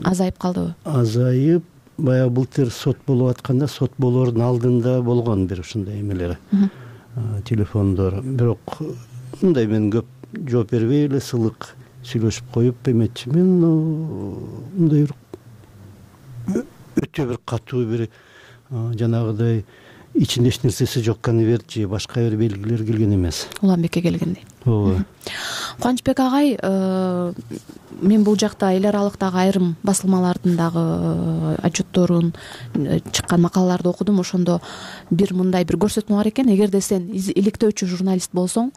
Азайып калдыбы? Азайып, баягы былтыр сот болуп атканда, сот болоордун алдында болгон бир ушундай эмелер, телефондор. Бирок мындай мен көп жооп бербей эле сылык сүйлөшүп коюп эметчи. Мен мындай өтө бир катуу бир жанагыдай ичинде эч нерсеси жок конверт же башка бир белгилер келген эмес. Уланбекке келгендей. Ооба. Кубанычбек агай, мен бул жакта эл аралыктагы айрым басылмалардын дагы отчетторун, чыккан макалаларды окудум. Ошондо бир мындай бир көрсөтмө бар экен. Эгерде сен иликтөөчү журналист болсоң,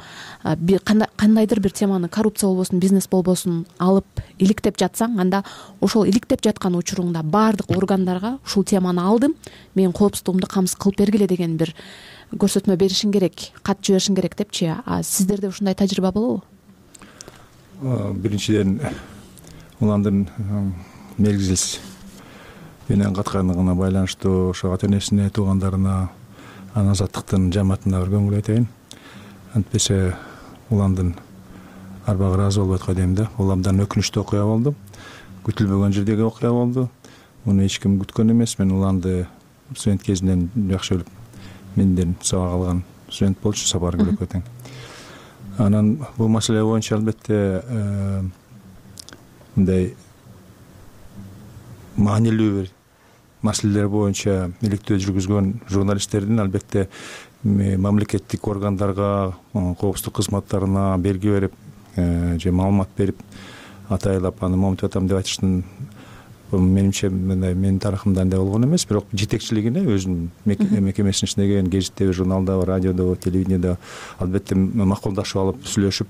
кандайдыр бир теманы, коррупция болбосун, бизнес болбосун, алып иликтеп жатсаң, анда ошол иликтеп жаткан учуруңда баардык органдарга ушул теманы алдым, менин коопсуздугумду камсыз кылып бергиле деген бир көрсөтмө беришиң керек, кат жиберишиң керек депчи. Сиздерде ушундай тажрыйба болобу? Биринчиден уландын мезгилсиз менен каткандыгына байланыштуу ошо ата-энесине, туугандарына, Азаттыктын жамаатына бир көңүл айтайын. Антпесе уландын арбагы ыраазы болбой аткан дейм да. Уламдан өкүнүчтүү окуя болду. Күтүлбөгөн жердеги окуя болду. Муну эч ким күткөн эмес. Мен уланды студент кезинен жакшы билип, менден сабак алган студент болчу, Сапар Көлөкө тең. Анан бул маселе боюнча албетте мындай маанилүү бир маселелер боюнча иликтөө жүргүзгөн журналисттердин албетте мамлекеттик органдарга, коопсуздук кызматтарына белги берип же маалымат берип атайлап аны момунтип атам деп айтыштын менимче мындай менин тарыхымда андай болгон эмес. Бирок жетекчилигине өзүнүн мекемесинин ичиндеги гезитте, журналда, радиодо, телевидениеде албетте макулдашып алып сүйлөшүп,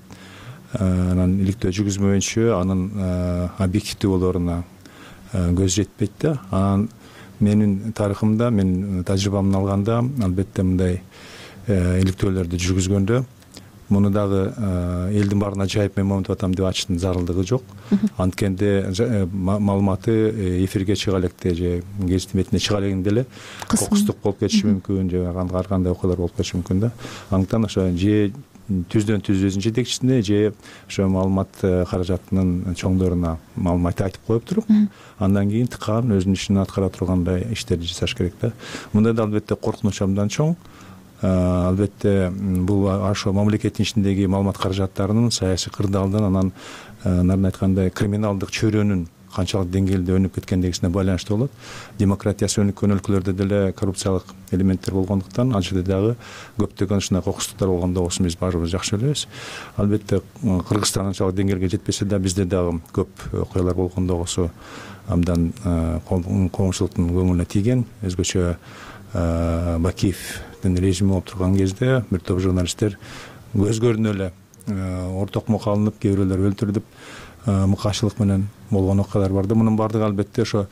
анан иликтөө жүргүзмөйүнчө анын объективдүү болооруна көз жетпейт да. Анан менин тарыхымда, мен тажрыйбамды алганда албетте мындай иликтөөлөрдү жүргүзгөндө муну дагы элдин баарына жайып мен момунтип атам деп ачыштын зарылдыгы жок. Анткенде маалыматы эфирге чыга электе же гезит метине чыга элегинде эле кокустук болуп кетиши мүмкүн, же ар кандай окуялар болуп кетиши мүмкүн да. Андыктан ошо же түздөн түз өзүнүн жетекчисине же ошо маалымат каражатынын чоңдоруна маалымат айтып коюп туруп, андан кийин тыкаан өзүнүн ишин аткара тургандай иштерди жасаш керек да. Мындай да албетте коркунуч абдан чоң. Албетте бул ошо мамлекеттин ичиндеги маалымат каражаттарынын саясий кырдаалдан, анан нарын айткандай криминалдык чөйрөнүн канчалык деңгээлде өнүп кеткендигисине байланыштуу болот. Демократиясы өнүккөн өлкөлөрдө деле коррупциялык элементтер болгондуктан ал жерде дагы көптөгөн ушундай кокустуктар болгондо болсун биз баарыбыз жакшы билебиз. Албетте Кыргызстан анчалык деңгээлге жетпесе да бизде дагы көп окуялар болгондо болсо абдан коомчулуктун көңүлүнө тийген. Өзгөчө Бакиевдин режими болуп турган кезде бир топ журналисттер көз көрүнө эле ортокмокко алынып, кээ бирөөлөр өлтүрүлүп, мыкаачылык менен болгон окуялар бар да. Мунун баардыгы албетте ошо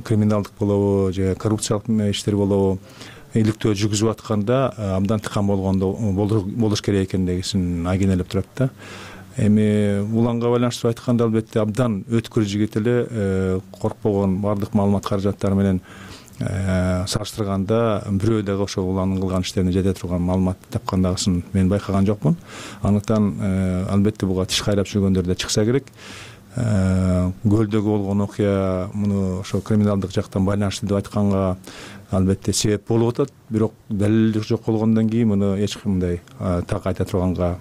криминалдык болобу же коррупциялык иштер болобу иликтөө жүргүзүп атканда абдан тыкан болгондо болуш керек экендигин айгинелеп турат да. Эми уланга байланыштырып айтканда албетте абдан өткүр жигит эле, коркпогон баардык маалымат каражаттары менен салыштырганда бирөө дагы ошо уландын кылган иштерине жете турган маалымат тапкан дагысын мен байкаган жокмун. Андыктан албетте буга тиш кайрап жүргөндөр да чыкса керек. Көлдөгү болгон окуя муну ошо криминалдык жактан байланыштуу деп айтканга албетте себеп болуп атат, бирок далил жок болгондон кийин муну эч кандай так айта турганга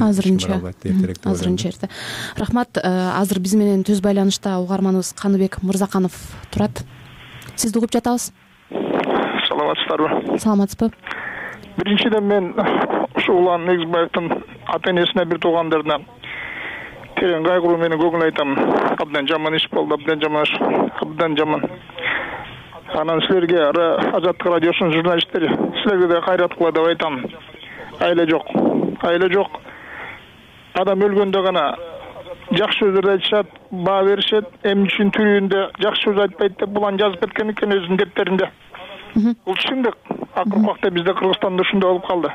азырынча эрте. Рахмат. Азыр биз менен түз байланышта угарманыбыз Каныбек Мырзаканов турат. Сизди угуп жатабыз. Саламатсыздарбы? Саламатсызбы? Биринчиден мен ушу Улан Эгизбаевдин ата-энесине, бир туугандарына терең кайгыруу менен көңүл айтам. Абдан жаман иш болду, абдан жаман. Анан силерге Азаттык радиосунун журналисттери, силерге да кайраткыла деп айтам. Айла жок. Адам өлгөндө гана жакшы сөздөрдү айтышат, баа беришет. Эмне үчүн тирүүндө жакшы сөз айтпайт деп булан жазып кеткен экен өзүнүн дептеринде. Бул чындык. Акыркы убакта бизде Кыргызстанда ушундай болуп калды.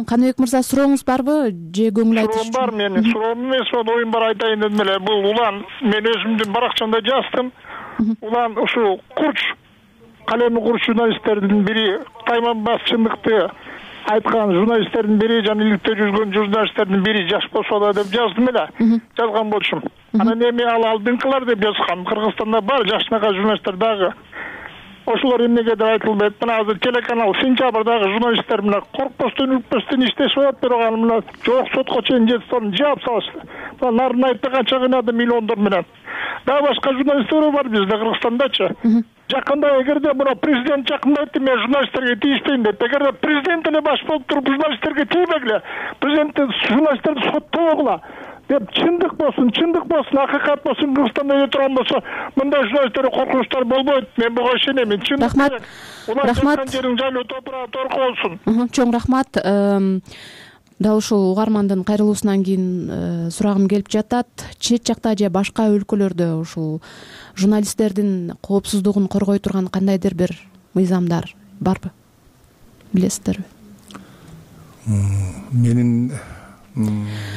Каныбек мырза, сурооңуз барбы же көңүл айтыш? Суроом бар, менин суроом эмес, оюм бар, айтайын дедим эле. Бул Улан, мен өзүмдүн баракчамда жаздым. Улан ушу курч, калеми курч журналисттердин бири, тайманбас чындыкты айткан журналисттердин бири, жана иликтөө жүргөн журналисттердин бири жаш болсо да деп жаздым эле. Жазган болчумун. Анан эми ал алдыңкылар деп жазган. Кыргызстанда бар жашынакай журналисттер дагы. Ошолор эмнеге деп айтылбайт. Мына азыр телеканал сентябрдагы журналисттер менен коркпостон, үрпөстөн иштешип атат, бирок аны мына жок сотко чейин жетип жаап салышты. Мына нарын айтты канча кыйнады миллиондор менен. Дагы башка журналисттер бар бизде Кыргызстандачы. Жакында эгерде мына президент жакында айтты, мен журналисттерге тийишпейм деп. Эгерде президент эле баш болуп туруп журналисттерге тийбегиле, президент журналисттерди соттогула деп чындык болсун, акыйкат болсун, Кыргызстанда эле турган болсо, мындай журналисттерге коркунучтар болбойт. Мен буга ишенем. Рахмат. Рахмат. Жерин жайлуу топурак торко болсун. Чоң рахмат. Дал ушул угармандын кайрылуусунан кийин сурагым келип жатат. Чет жакта же башка өлкөлөрдө ушул журналисттердин коопсуздугун коргой турган кандайдыр бир мыйзамдар барбы? Билесиздерби? Менин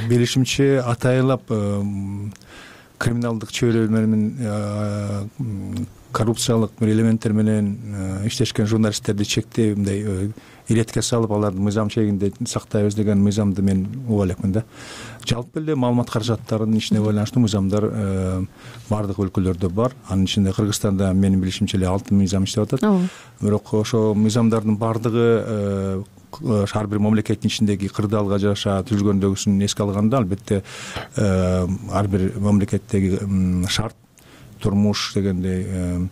билишимче атайылап криминалдык чөйрө менен коррупциялык бир элементтер менен иштешкен журналисттерди чектөө мындай иретке салып аларды мыйзам чегинде сактайбыз деген мыйзамды мен уга элекмин да. Жалпы эле маалымат каражаттарынын ишине байланыштуу мыйзамдар баардык өлкөлөрдө бар. Анын ичинде Кыргызстанда менин билишимче эле 6 мыйзам иштеп атат. Бирок ошо мыйзамдардын баардыгы ар бир мамлекеттин ичиндеги кырдаалга жараша түзүлгөндөгүсүн эске алганда албетте ар бир мамлекеттеги шарт, турмуш дегендей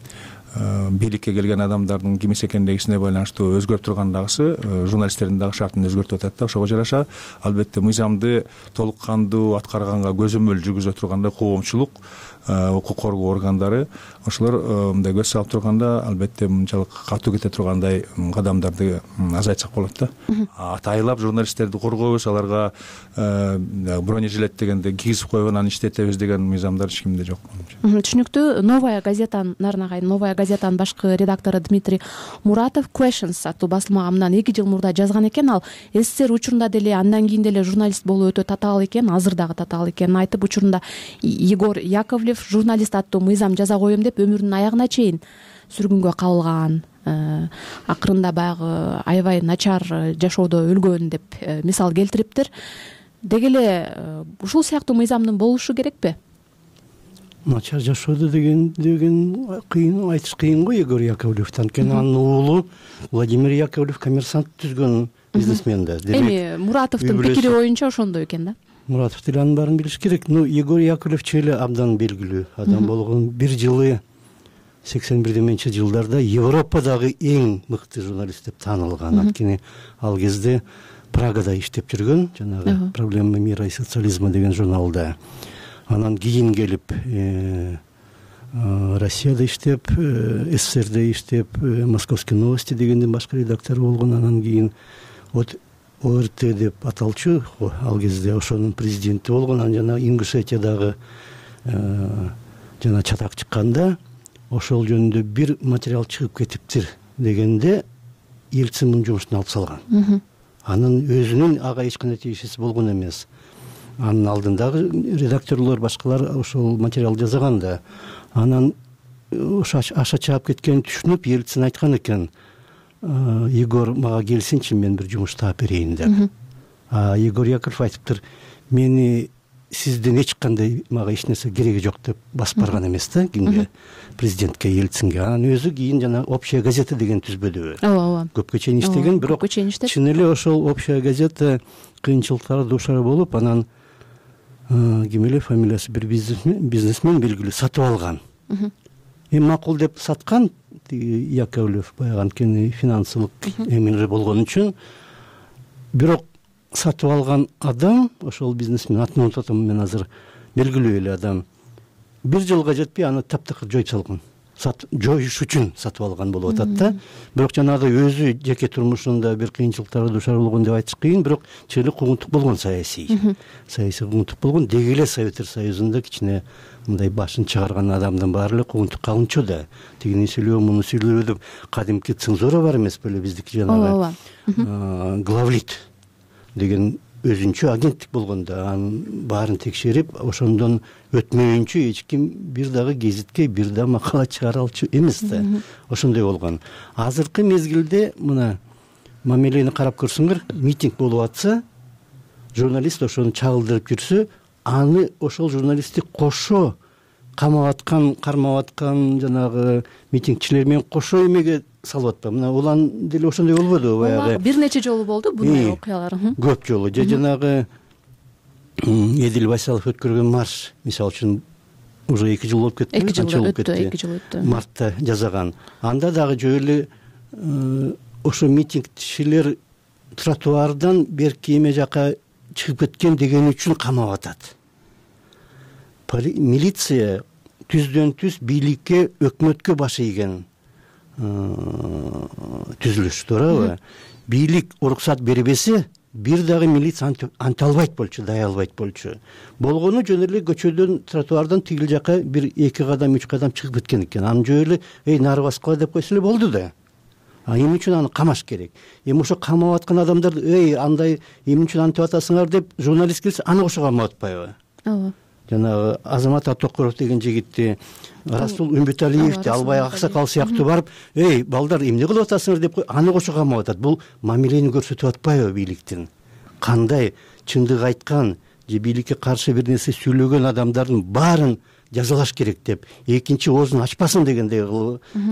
бийликке келген адамдардын кимис экендигисине байланыштуу өзгөрүп тургандагысы журналисттердин дагы шартын өзгөртүп атат да. Ошого жараша албетте мыйзамды толук кандуу аткарганга көзөмөл жүргүзө тургандай коомчулук, укук коргоо органдары ошолор мындай көз салып турганда албетте мынчалык катуу кете тургандай кадамдарды азайтсак болот да. Атайылап журналисттерди коргойбуз, аларга бронежилет дегенди кийгизип койгон, аны иштетебиз деген мыйзамдар эч кимде жок. Түшүнүктүү. Новая газета, Нарынагай Новая газетанын башкы редактору Дмитрий Муратов Questions аттуу басылмага мындан 2 жыл мурда жазган экен. Ал СССР учурунда деле андан кийин деле журналист болуу өтө татаал экен, азыр дагы татаал экенин айтып, учурунда Егор Яковлев журналист аттуу мыйзам жаза коем деп өмүрүнүн аягына чейин сүргүнгө кабылган, акырында баягы аябай начар жашоодо өлгөн деп мисал келтириптир. Деги эле ушул сыяктуу мыйзамдын болушу керекпи? Начар жашоодо деген кыйын, айтыш кыйын го. Егор Яковлев анткени анын уулу Владимир Яковлев коммерсант түзгөн бизнесмен да. Эми Муратовдун пикири боюнча ошондой экен да. Муратов деле анын баарын билиш керек. Егор Яковлев эле абдан белгилүү адам болгон. Бир жылы 81 жылдарда Европадагы эң мыкты журналист деп таанылган. Анткени ал кезде Прагада иштеп жүргөн, жанагы «Проблема мира и социализма» деген журналда. Анан кийин келип Россияда иштеп, СССРде иштеп, Московские новости дегендин башкы редактору болгон. Анан кийин ОРТ деп аталчу, ал кезде ошонун президенти болгон. Анан жана Ингушетиядагы жана чатак чыкканда ошол жөнүндө бир материал чыгып кетиптир дегенде Ельцин мунун жумушун алып салган. Анын өзүнүн ага эч кандай тиешеси болгон эмес. Анын алдындагы редакторлор башкалар ошол материал жазган да. Анан ошо аша чаап кеткенин түшүнүп, Ельцин айткан экен: Егор мага келсинчи, мен бир жумуш таап берейин деп. Егор Яковлев айтыптыр: мени сизден эч кандай мага эч нерсе кереги жок деп басып барган эмес да кимге? Президентке, Ельцинге. Анан өзү кийин жана «Общая газета» деген түзбөдүбү. Ооба. Көпкө чейин иштеген, бирок чын эле ошол «Общая газета» кыйынчылыктарга дуушар болуп, анан ким эле фамилиясы бир бизнесмен белгилүү сатып алган. Эми макул деп саткан Яковлев баягы, анткени финансылык эмелер болгон үчүн. Бирок сатып алган адам, ошол бизнесмен, атын унутуп атам мен азыр, белгилүү эле адам, бир жылга жетпей аны таптакыр жоюп салган. Жоюш үчүн сатып алган болуп атат да. Бирок жанагы өзү жеке турмушунда бир кыйынчылыктарга дуушар болгон деп айтыш кыйын, бирок чын эле куугунтук болгон саясий куугунтук болгон. Деги эле Советтер Союзунда кичине мындай башын чыгарган адамдын баары эле куугунтукка алынчу да. Тигини сүйлөбө, муну сүйлөбө деп кадимки цензура бар эмес беле биздики, жанагы главлит деген өзүнчө агенттик болгон да. Анын баарын текшерип, ошондон өтмөйүнчө эч ким бир дагы гезитке бир да макала чыгара алчу эмес да. Ошондой болгон. Азыркы мезгилде мына мамилени карап көрсөңөр, митинг болуп атса, журналист ошону чагылдырып жүрсө, аны ошол журналистти кошо камап аткан, кармап аткан жанагы митингчилер менен кошо эмеге салып атпа. Мына улан деле ошондой болбодубу баягы? Бир нече жолу болду bunday окуялар. Көп жолу. Жанагы Эдил Байсалов өткөргөн марш, мисалы үчүн, уже 2 жыл болуп кетти. 2 жыл өттү. Мартта жазаган. Анда дагы жөө эле ошо митингчилер тротуардан берки эме жака чыгып кеткен деген үчүн камап атат. Милиция түздөн түз бийликке, өкмөткө баш ийген түзүлүш, туурабы? Бийлик уруксат бербесе, бир дагы милиция анта албайт болчу, дай албайт болчу. Болгону жөн эле көчөдөн, тротуардан тигил жака бир 2 кадам, 3 кадам чыгып кеткен экен. Аны жөө эле нары баскыла деп койсо эле болду да. Эмне үчүн аны камаш керек? Эми ошо камап аткан адамдар, андай эмне үчүн антип атасыңар деп журналист келсе, аны ошо камап атпайбы? Ооба. Жанагы Азамат Атокуров деген жигитти, Расул Үмбүталиевди албай аксакал сыяктуу барып, балдар эмне кылып атасыңар деп аны кошо камап атат. Бул мамилени көрсөтүп атпайбы бийликтин? Кандай чындык айткан же бийликке каршы бир нерсе сүйлөгөн адамдардын баарын жазалаш керек деп, экинчи оозун ачпасын дегендей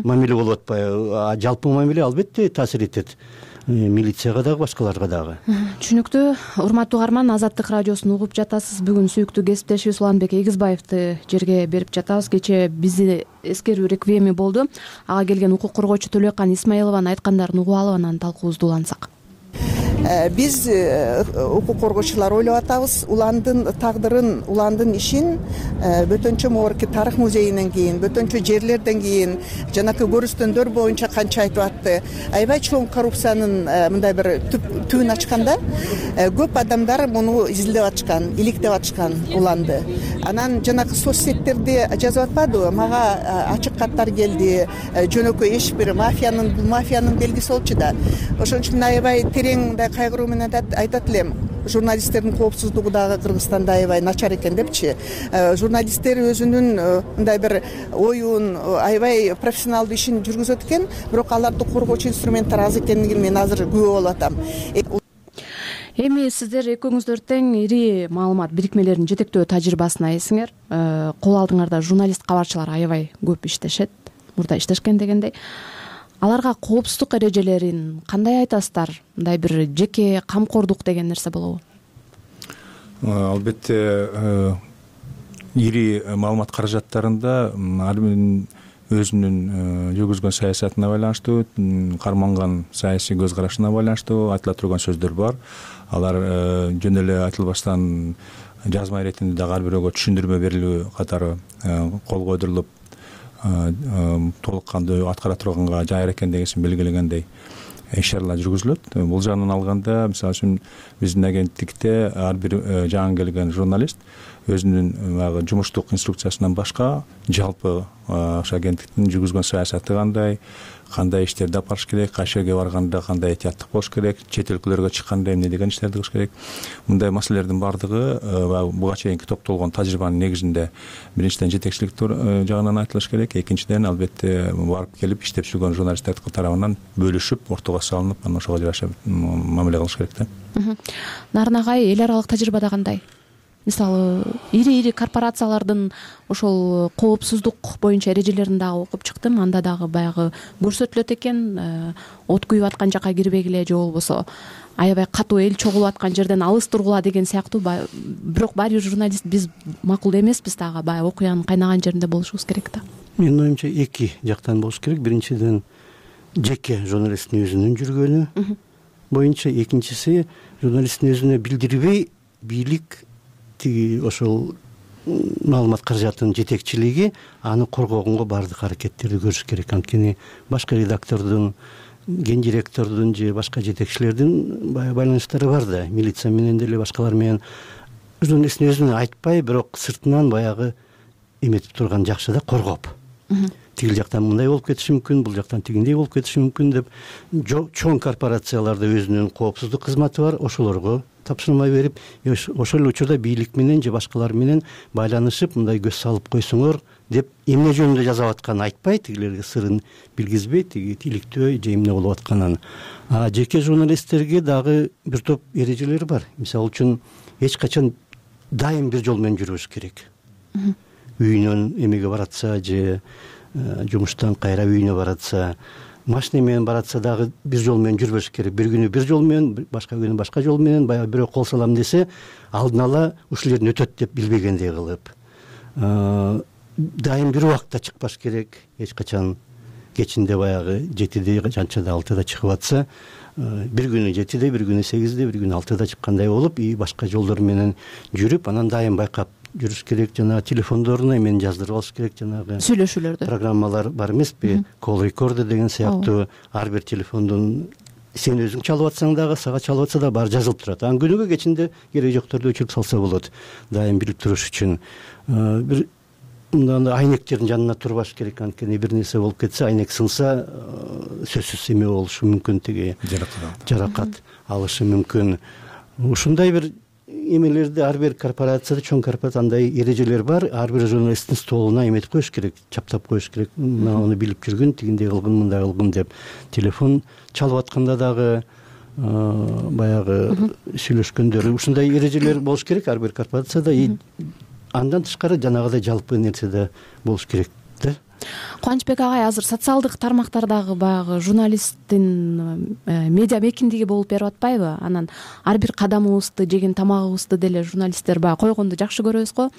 мамиле болуп атпайбы? Жалпы мамиле албетте таасир этет милицияга дагы, башкаларга дагы. Түшүнүктүү. Урматтуу угарман, Азаттык радиосун угуп жатасыз. Бүгүн сүйүктүү кесиптешибиз Уланбек Эгизбаевди жерге берип жатабыз. Кечээ бизди эскерүү реквиеми болду. Ага келген укук коргоочу Төлөкан Исмаилованын айткандарын угуп алып, анан талкуубузду улантсак. биз укук коргоочулар ойлоп атабыз уландын тагдырын, уландын ишин бөтөнчө могорки тарых музейинен кийин, бөтөнчө жерлерден кийин жанакы көрүстөндөр боюнча канча айтып атты. Аябай чоң коррупциянын мындай бир түбүн ачканда көп адамдар муну изилдеп атышкан, иликтеп атышкан уланды. Анан жанакы соц сеттерди жазып атпадыбы? Мага ачык каттар келди, жөнөкөй эч бир бул мафиянын белгиси болчу да. Ошон үчүн мен аябай терең мындай кайгыруу менен айтат элем. Журналисттердин коопсуздугу дагы Кыргызстанда аябай начар экен депчи. Журналисттер өзүнүн мындай бир оюн, аябай профессионалдуу ишин жүргүзөт экен, бирок аларды коргоочу инструменттер аз экенин мен азыр күбө болуп атам. Эми сиздер экөөңүздөр тең ири маалымат бирикмелеринин жетектөө тажрыйбасына ээсиңер. Кол алдыңарда журналист кабарчылар аябай көп иштешет, мурда иштешкен дегендей. Аларга коопсуздук эрежелерин кандай айтасыздар? Мындай бир жеке камкордук деген нерсе болобу? Албетте ири маалымат каражаттарында ар биринин өзүнүн жүргүзгөн саясатына байланыштуу, карманган саясий көз карашына байланыштуу айтыла турган сөздөр бар. Алар жөн эле айтылбастан жазма иретинде дагы ар бирөөгө түшүндүрмө берилүү катары кол койдурулуп толук кандуу аткара турганга жайыр экен дегенсин белгилегендей иш-чаралар жүргүзүлөт. Бул жагынан алганда, мисалы үчүн биздин агенттикте ар бир жаңы келген журналист өзүнүн баягы жумуштук инструкциясынан башка жалпы ошо агенттиктин жүргүзгөн саясаты кандай иштерди алып барыш керек, кайсы жерге барганда кандай этияттык болуш керек, чет өлкөлөргө чыкканда эмне деген иштерди кылыш керек. Мындай маселелердин баардыгы буга чейинки топтолгон тажрыйбанын негизинде биринчиден жетекчилик жагынан айтылыш керек, экинчиден албетте барып келип иштеп жүргөн журналисттер тарабынан бөлүшүп, ортого салынып, анан ошого жараша мамиле кылыш керек да. Нарын агай, эл аралык тажрыйбада кандай? Мисалы, ири корпорациялардын ошол коопсуздук боюнча эрежелерин дагы окуп чыктым. Анда дагы баягы көрсөтүлөт экен, от күйүп аткан жака кирбегиле же болбосо аябай катуу эл чогулуп аткан жерден алыс тургула деген сыяктуу. Бирок баары бир журналист биз макул эмеспиз дагы, баягы окуянын кайнаган жеринде болушубуз керек да. Менин оюмча эки жактан болуш керек. Биринчиден жеке журналисттин өзүнүн жүргөнү боюнча, экинчиси журналисттин өзүнө билдирбей бийлик ошол маалымат каражатынын жетекчилиги аны коргогонго баардык аракеттерди көрүш керек. Анткени башка редактордун, ген директордун же башка жетекчилердин байланыштары бар да, милиция менен деле башкалар менен. Журналисттин өзүнө айтпай, бирок сыртынан баягы эметип турган жакшы да, коргоп. Тигил жактан мындай болуп кетиши мүмкүн, бул жактан тигиндей болуп кетиши мүмкүн деп чоң корпорацияларда өзүнүн коопсуздук кызматы бар, ошолорго тапшырма берип, ошол учурда бийлик менен же башкалар менен байланышып, мындай көз салып койсоңор деп эмне жөнүндө жазып атканын айтпай, тигилерге сырын билгизбей, тиги иликтөө же эмне болуп атканын. Жеке журналисттерге дагы бир топ эрежелер бар. Мисалы үчүн эч качан дайым бир жол менен жүрүш керек. Үйүнөн эмеге баратса же жумуштан кайра үйүнө баратса, машина менен баратса дагы бир жол менен жүрбөш керек. Бир күнү бир жол менен, башка күнү башка жол менен, баягы бирөө кол салам десе, алдын ала ушул жерден өтөт деп билбегендей кылып. Дайым бир убакта чыкпаш керек. Эч качан кечинде баягы 7де, жанчада 6да чыгып атса, бир күнү 7де, бир күнү 8де, бир күнү 6да чыккандай болуп, башка жолдор менен жүрүп, анан дайым байкап жүрүш керек. Жана телефондоруна эмени жаздырып алыш керек, жанагы сүйлөшүүлөрдү. Программалар бар эмеспи? Call recorder деген сыяктуу ар бир телефондун сен өзүң чалып атсаң дагы, сага чалып атса да баары жазылып турат. Анан күнүгө кечинде кереги жокторду өчүрүп салса болот. Дайым билип туруш үчүн бир мындай айнектердин жанына турбаш керек. Анткени бир нерсе болуп кетсе, айнек сынса, сөзсүз эме болушу мүмкүн, тиги жаракат алышы мүмкүн. Ушундай бир эмелерди ар бир корпорацияда, чоң корпорацияда андай эрежелер бар. Ар бир журналисттин столуна эметип коюш керек, чаптап коюш керек. Муну билип жүргүн, тигиндей кылгын, мындай кылгын деп. Телефон чалып атканда дагы баягы сүйлөшкөндөр, ушундай эрежелер болуш керек ар бир корпорацияда. Андан тышкары жанагыдай жалпы нерсе да болуш керек да. Кубанычбек агай, азыр социалдык тармактардагы баягы журналисттин медиа мекиндиги болуп берип атпайбы? Анан ар бир кадамыбызды, жеген тамагыбызды деле журналисттер баягы койгонду жакшы көрөбүз го.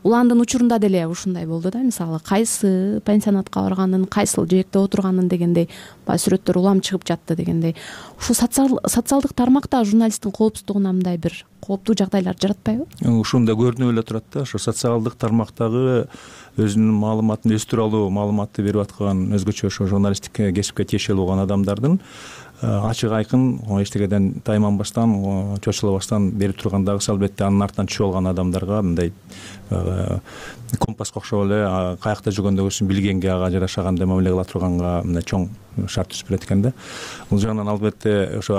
Уландын учурунда деле ушундай болду да, мисалы кайсы пансионатка барганын, кайсыл жээкте отурганын дегендей баягы сүрөттөр улам чыгып жатты дегендей. Ушул социалдык тармакта журналисттин коопсуздугуна мындай бир кооптуу жагдайлар жаратпайбы? Ушунда көрүнүп эле турат да, ошо социалдык тармактагы өзүнүн маалыматын, өз тууралуу маалыматты берип аткан өзгөчө ошо журналисттик кесипке тиешелүү болгон адамдардын ачык айкын эчтекеден тайманбастан, чочулабастан берип турган дагы албетте анын артынан түшүп алган адамдарга мындай компаска окшоп эле каякта жүргөндө көрсүн билгенге, ага жарашагандай мамиле кыла турганга мындай чоң шарт түзүп берет экен да. Бул жагынан албетте ошо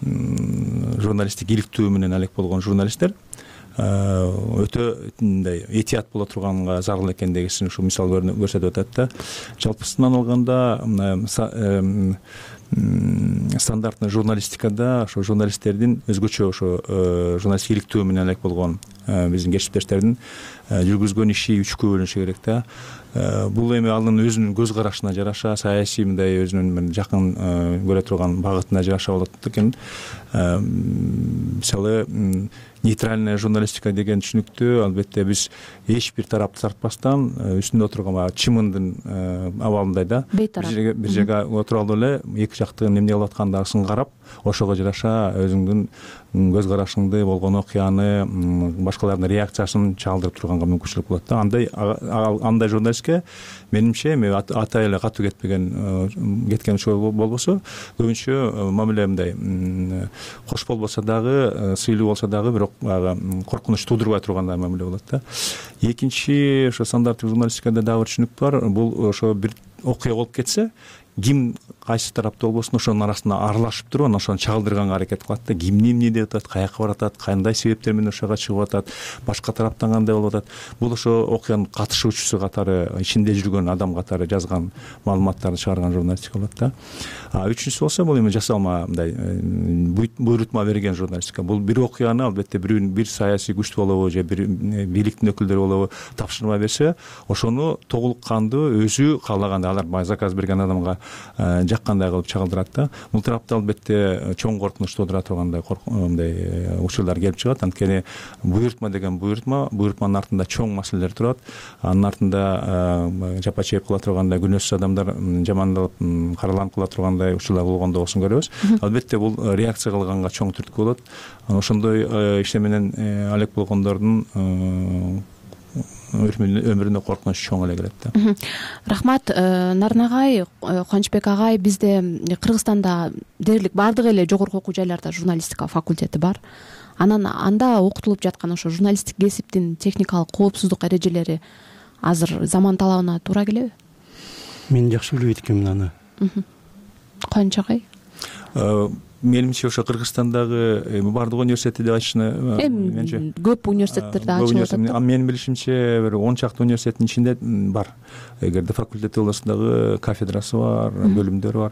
журналисттик иликтөө менен алек болгон журналисттер өтө мындай этият боло турганга зарыл экендигин ушул мисал көрсөтүп атат да. Жалпысынан алганда стандартный журналистикада ошо журналисттердин өзгөчө ошо журналисттик иликтөө менен алек болгон биздин кесиптештердин жүргүзгөн иши үчкө бөлүнүшү керек да. Бул эми анын өзүнүн көз карашына жараша, саясий мындай өзүнүн жакын көрө турган багытына жараша болот экен. Мисалы нейтральная журналистика деген түшүнүктү албетте биз эч бир тарапты тартпастан үстүндө отурган баягы чымындын абалындай да, бир жерге отура алып эле эки жактын эмне кылып аткандасын карап, ошого жараша өзүңдүн көз карашыңды, болгон окуяны, башкалардын реакциясын чагылдырып турганга мүмкүнчүлүк болот да. Андай журналистке менимче эми атай эле катуу кеткен болбосо, көбүнчө мамиле мындай кош болбосо дагы, сыйлуу болсо дагы, бирок коркунуч туудурбай тургандай мамиле болот да. Экинчи ошо стандарттык журналистикада дагы бир түшүнүк бар. Бул ошо бир окуя болуп кетсе, ким кайсы тарапта болбосун ошонун арасына аралашып туруп, анан ошону чагылдырганга аракет кылат да. Ким эмне деп атат, каяка баратат, кандай себептер менен ошого чыгып атат, башка тараптан кандай болуп атат. Бул ошо окуянын катышуучусу катары, ичинде жүргөн адам катары жазган маалыматтарды чыгарган журналистика болот да. Үчүнчүсү болсо, бул эми жасалма мындай буйрутма берген журналистика. Бул бир окуяны албетте бир саясий күч болобу же бир бийликтин өкүлдөрү болобу тапшырма берсе, ошону толуккандуу өзү каалагандай, алар заказ берген адамга жаккандай кылып чагылдырат да. Бул тарапта албетте чоң коркунуч туудура тургандай мындай учурлар келип чыгат. Анткени буйрутма деген буйрутманын артында чоң маселелер турат. Анын артында жапа чейип кыла тургандай, күнөөсүз адамдар жамандалып, караланып кыла тургандай учурлар болгондо болсун көрөбүз. Албетте бул реакция кылганга чоң түрткү болот. Ошондой иште менен алек болгондордун өмүрүнө коркунуч чоң эле келет да. Рахмат, Нарын агай, Кубанычбек агай, бизде Кыргызстанда дээрлик баардык эле жогорку окуу жайларда журналистика факультети бар. Анда окутулуп жаткан ошо журналисттик кесиптин техникалык коопсуздук эрежелери азыр заман талабына туура келеби? Мен жакшы билбейт экенмин аны. Кубаныч агай? Менимче ошо Кыргызстандагы баардык университетти деп айтышына менимче көп университеттерде ачылып атат. Менин билишимче бир 10 чакты университеттин ичинде бар. Эгерде факультет болсо дагы кафедрасы бар, бөлүмдөрү бар.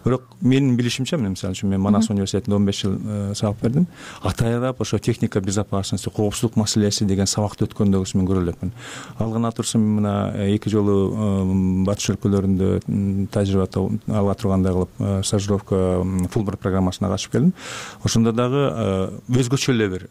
Бирок менин билишимче, мисалы үчүн мен Манас университетинде 15 жыл сабак бердим. Атайрап ошо техника безопасности, коопсуздук маселеси деген сабакты өткөндөгүсүн мен көрө элекмин. Алган атурсун мына 2 жолу батыш өлкөлөрүндө тажрыйба ала тургандай кылып стажировка Фулбрайт программасына катышып келдим. Ошондо дагы өзгөчө эле бир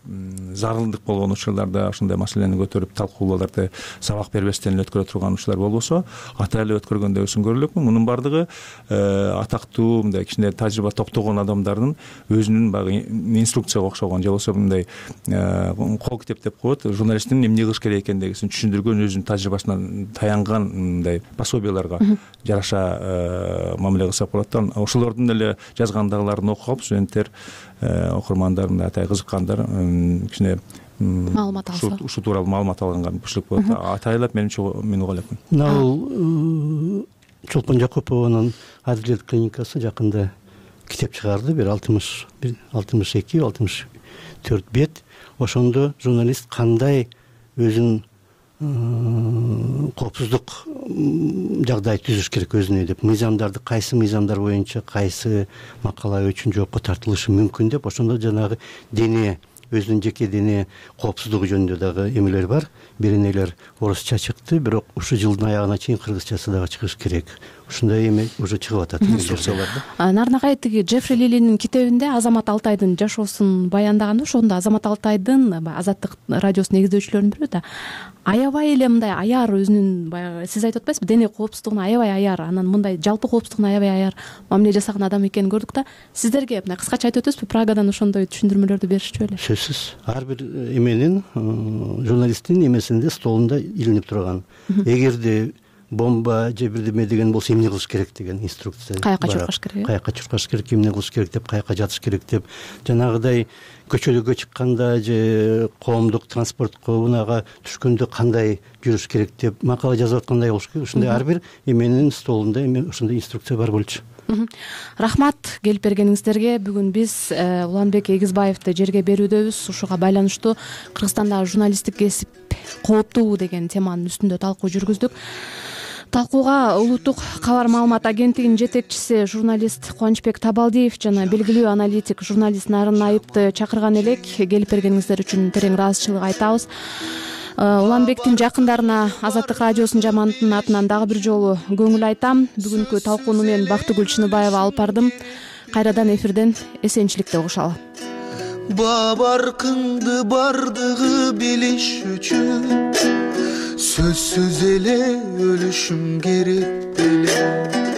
зарылдык болгон учурларда ошондой маселени көтөрүп талкуулоолорду сабак бербестен эле өткөрө турган учурлар болбосо, атай эле өткөргөндөгүсүн көрө элекмин. Мунун баардыгы атактуу мындай кичине тажрыйба топтогон адамдардын өзүнүн баягы инструкцияга окшогон же болбосо мындай кол китеп деп коет, журналисттин эмне кылыш керек экендигин түшүндүргөн, өзүнүн тажрыйбасынан таянган мындай пособияларга жараша мамиле кылсак болот да. Ошолордун эле жазгандагыларын окуп алып, студенттер, окурмандар, мындай атай кызыккандар кичине маалымат алса, ушу тууралуу маалымат алганга мүмкүнчүлүк болот. Атайлап менимче мен уга элекмин. Бул Чолпон Жакупованын Адилет клиникасы жакында китеп чыгарды, бир 62-64 бет. Ошондо журналист кандай өзүнүн коопсуздук жагдай түзүш керек өзүнө деп, мыйзамдарды кайсы мыйзамдар боюнча кайсы макала үчүн жоопко тартылышы мүмкүн деп, ошондо жанагы дене өзүнүн жеке дене коопсуздугу жөнүндө дагы эмелер бар. Биринелер орусча чыкты, бирок ушул жылдын аягына чейин кыргызчасы дагы чыгыш керек. Ушундай эме уже чыгып атат. Нарынакай тиги Джеффри Лилинин китебинде Азамат Алтайдын жашоосун баяндаганда, ошондо Азамат Алтайдын Азаттык радиосунун негиздөөчүлөрүнүн бирөө да аябай эле мындай аяр, өзүнүн баягы сиз айтып атпайсызбы, дене коопсуздугуна аябай аяр, анан мындай жалпы коопсуздугуна аябай аяр мамиле жасаган адам экенин көрдүк да. Сиздерге мындай кыскача айтып өтөсүзбү, Прагадан ошондой түшүндүрмөлөрдү беришчү беле? Сөзсүз. Ар бир эменин журналисттин эмесинде столунда илинип турган. Эгерде бомба же бирдеме деген болсо эмне кылыш керек деген инструкция. Каяка чуркаш керек? Каяка чуркаш керек, эмне кылыш керек деп, каяка жатыш керек деп, жанагыдай көчөлөргө чыкканда же коомдук транспортко унага түшкөндө кандай жүрүш керек деп макала жазып аткандай болуш керек. Ушундай ар бир эменин столунда ошондой инструкция бар болчу. Рахмат келип бергениңиздерге. Бүгүн биз Уланбек Эгизбаевди жерге берүүдөбүз. Ушуга байланыштуу Кыргызстандагы журналисттик кесип кооптуу деген теманын үстүндө талкуу жүргүздүк. Талкууга Улуттук кабар маалымат агенттигинин жетекчиси журналист Кубанычбек Табалдиев жана белгилүү аналитик журналист Нарын Айыпты чакырган элек. Келип бергениңиздер үчүн терең ыраазычылык айтабыз. Уланбектин жакындарына Азаттык радиосунун жамаатынын атынан дагы бир жолу көңүл айтам. Бүгүнкү талкууну мен Бактыгүл Чыныбаева алып бардым. Кайрадан эфирден эсенчиликте угушалы. Бабаркыңды бардыгы билиш үчүн сөзсүз эле өлүшүм керек беле.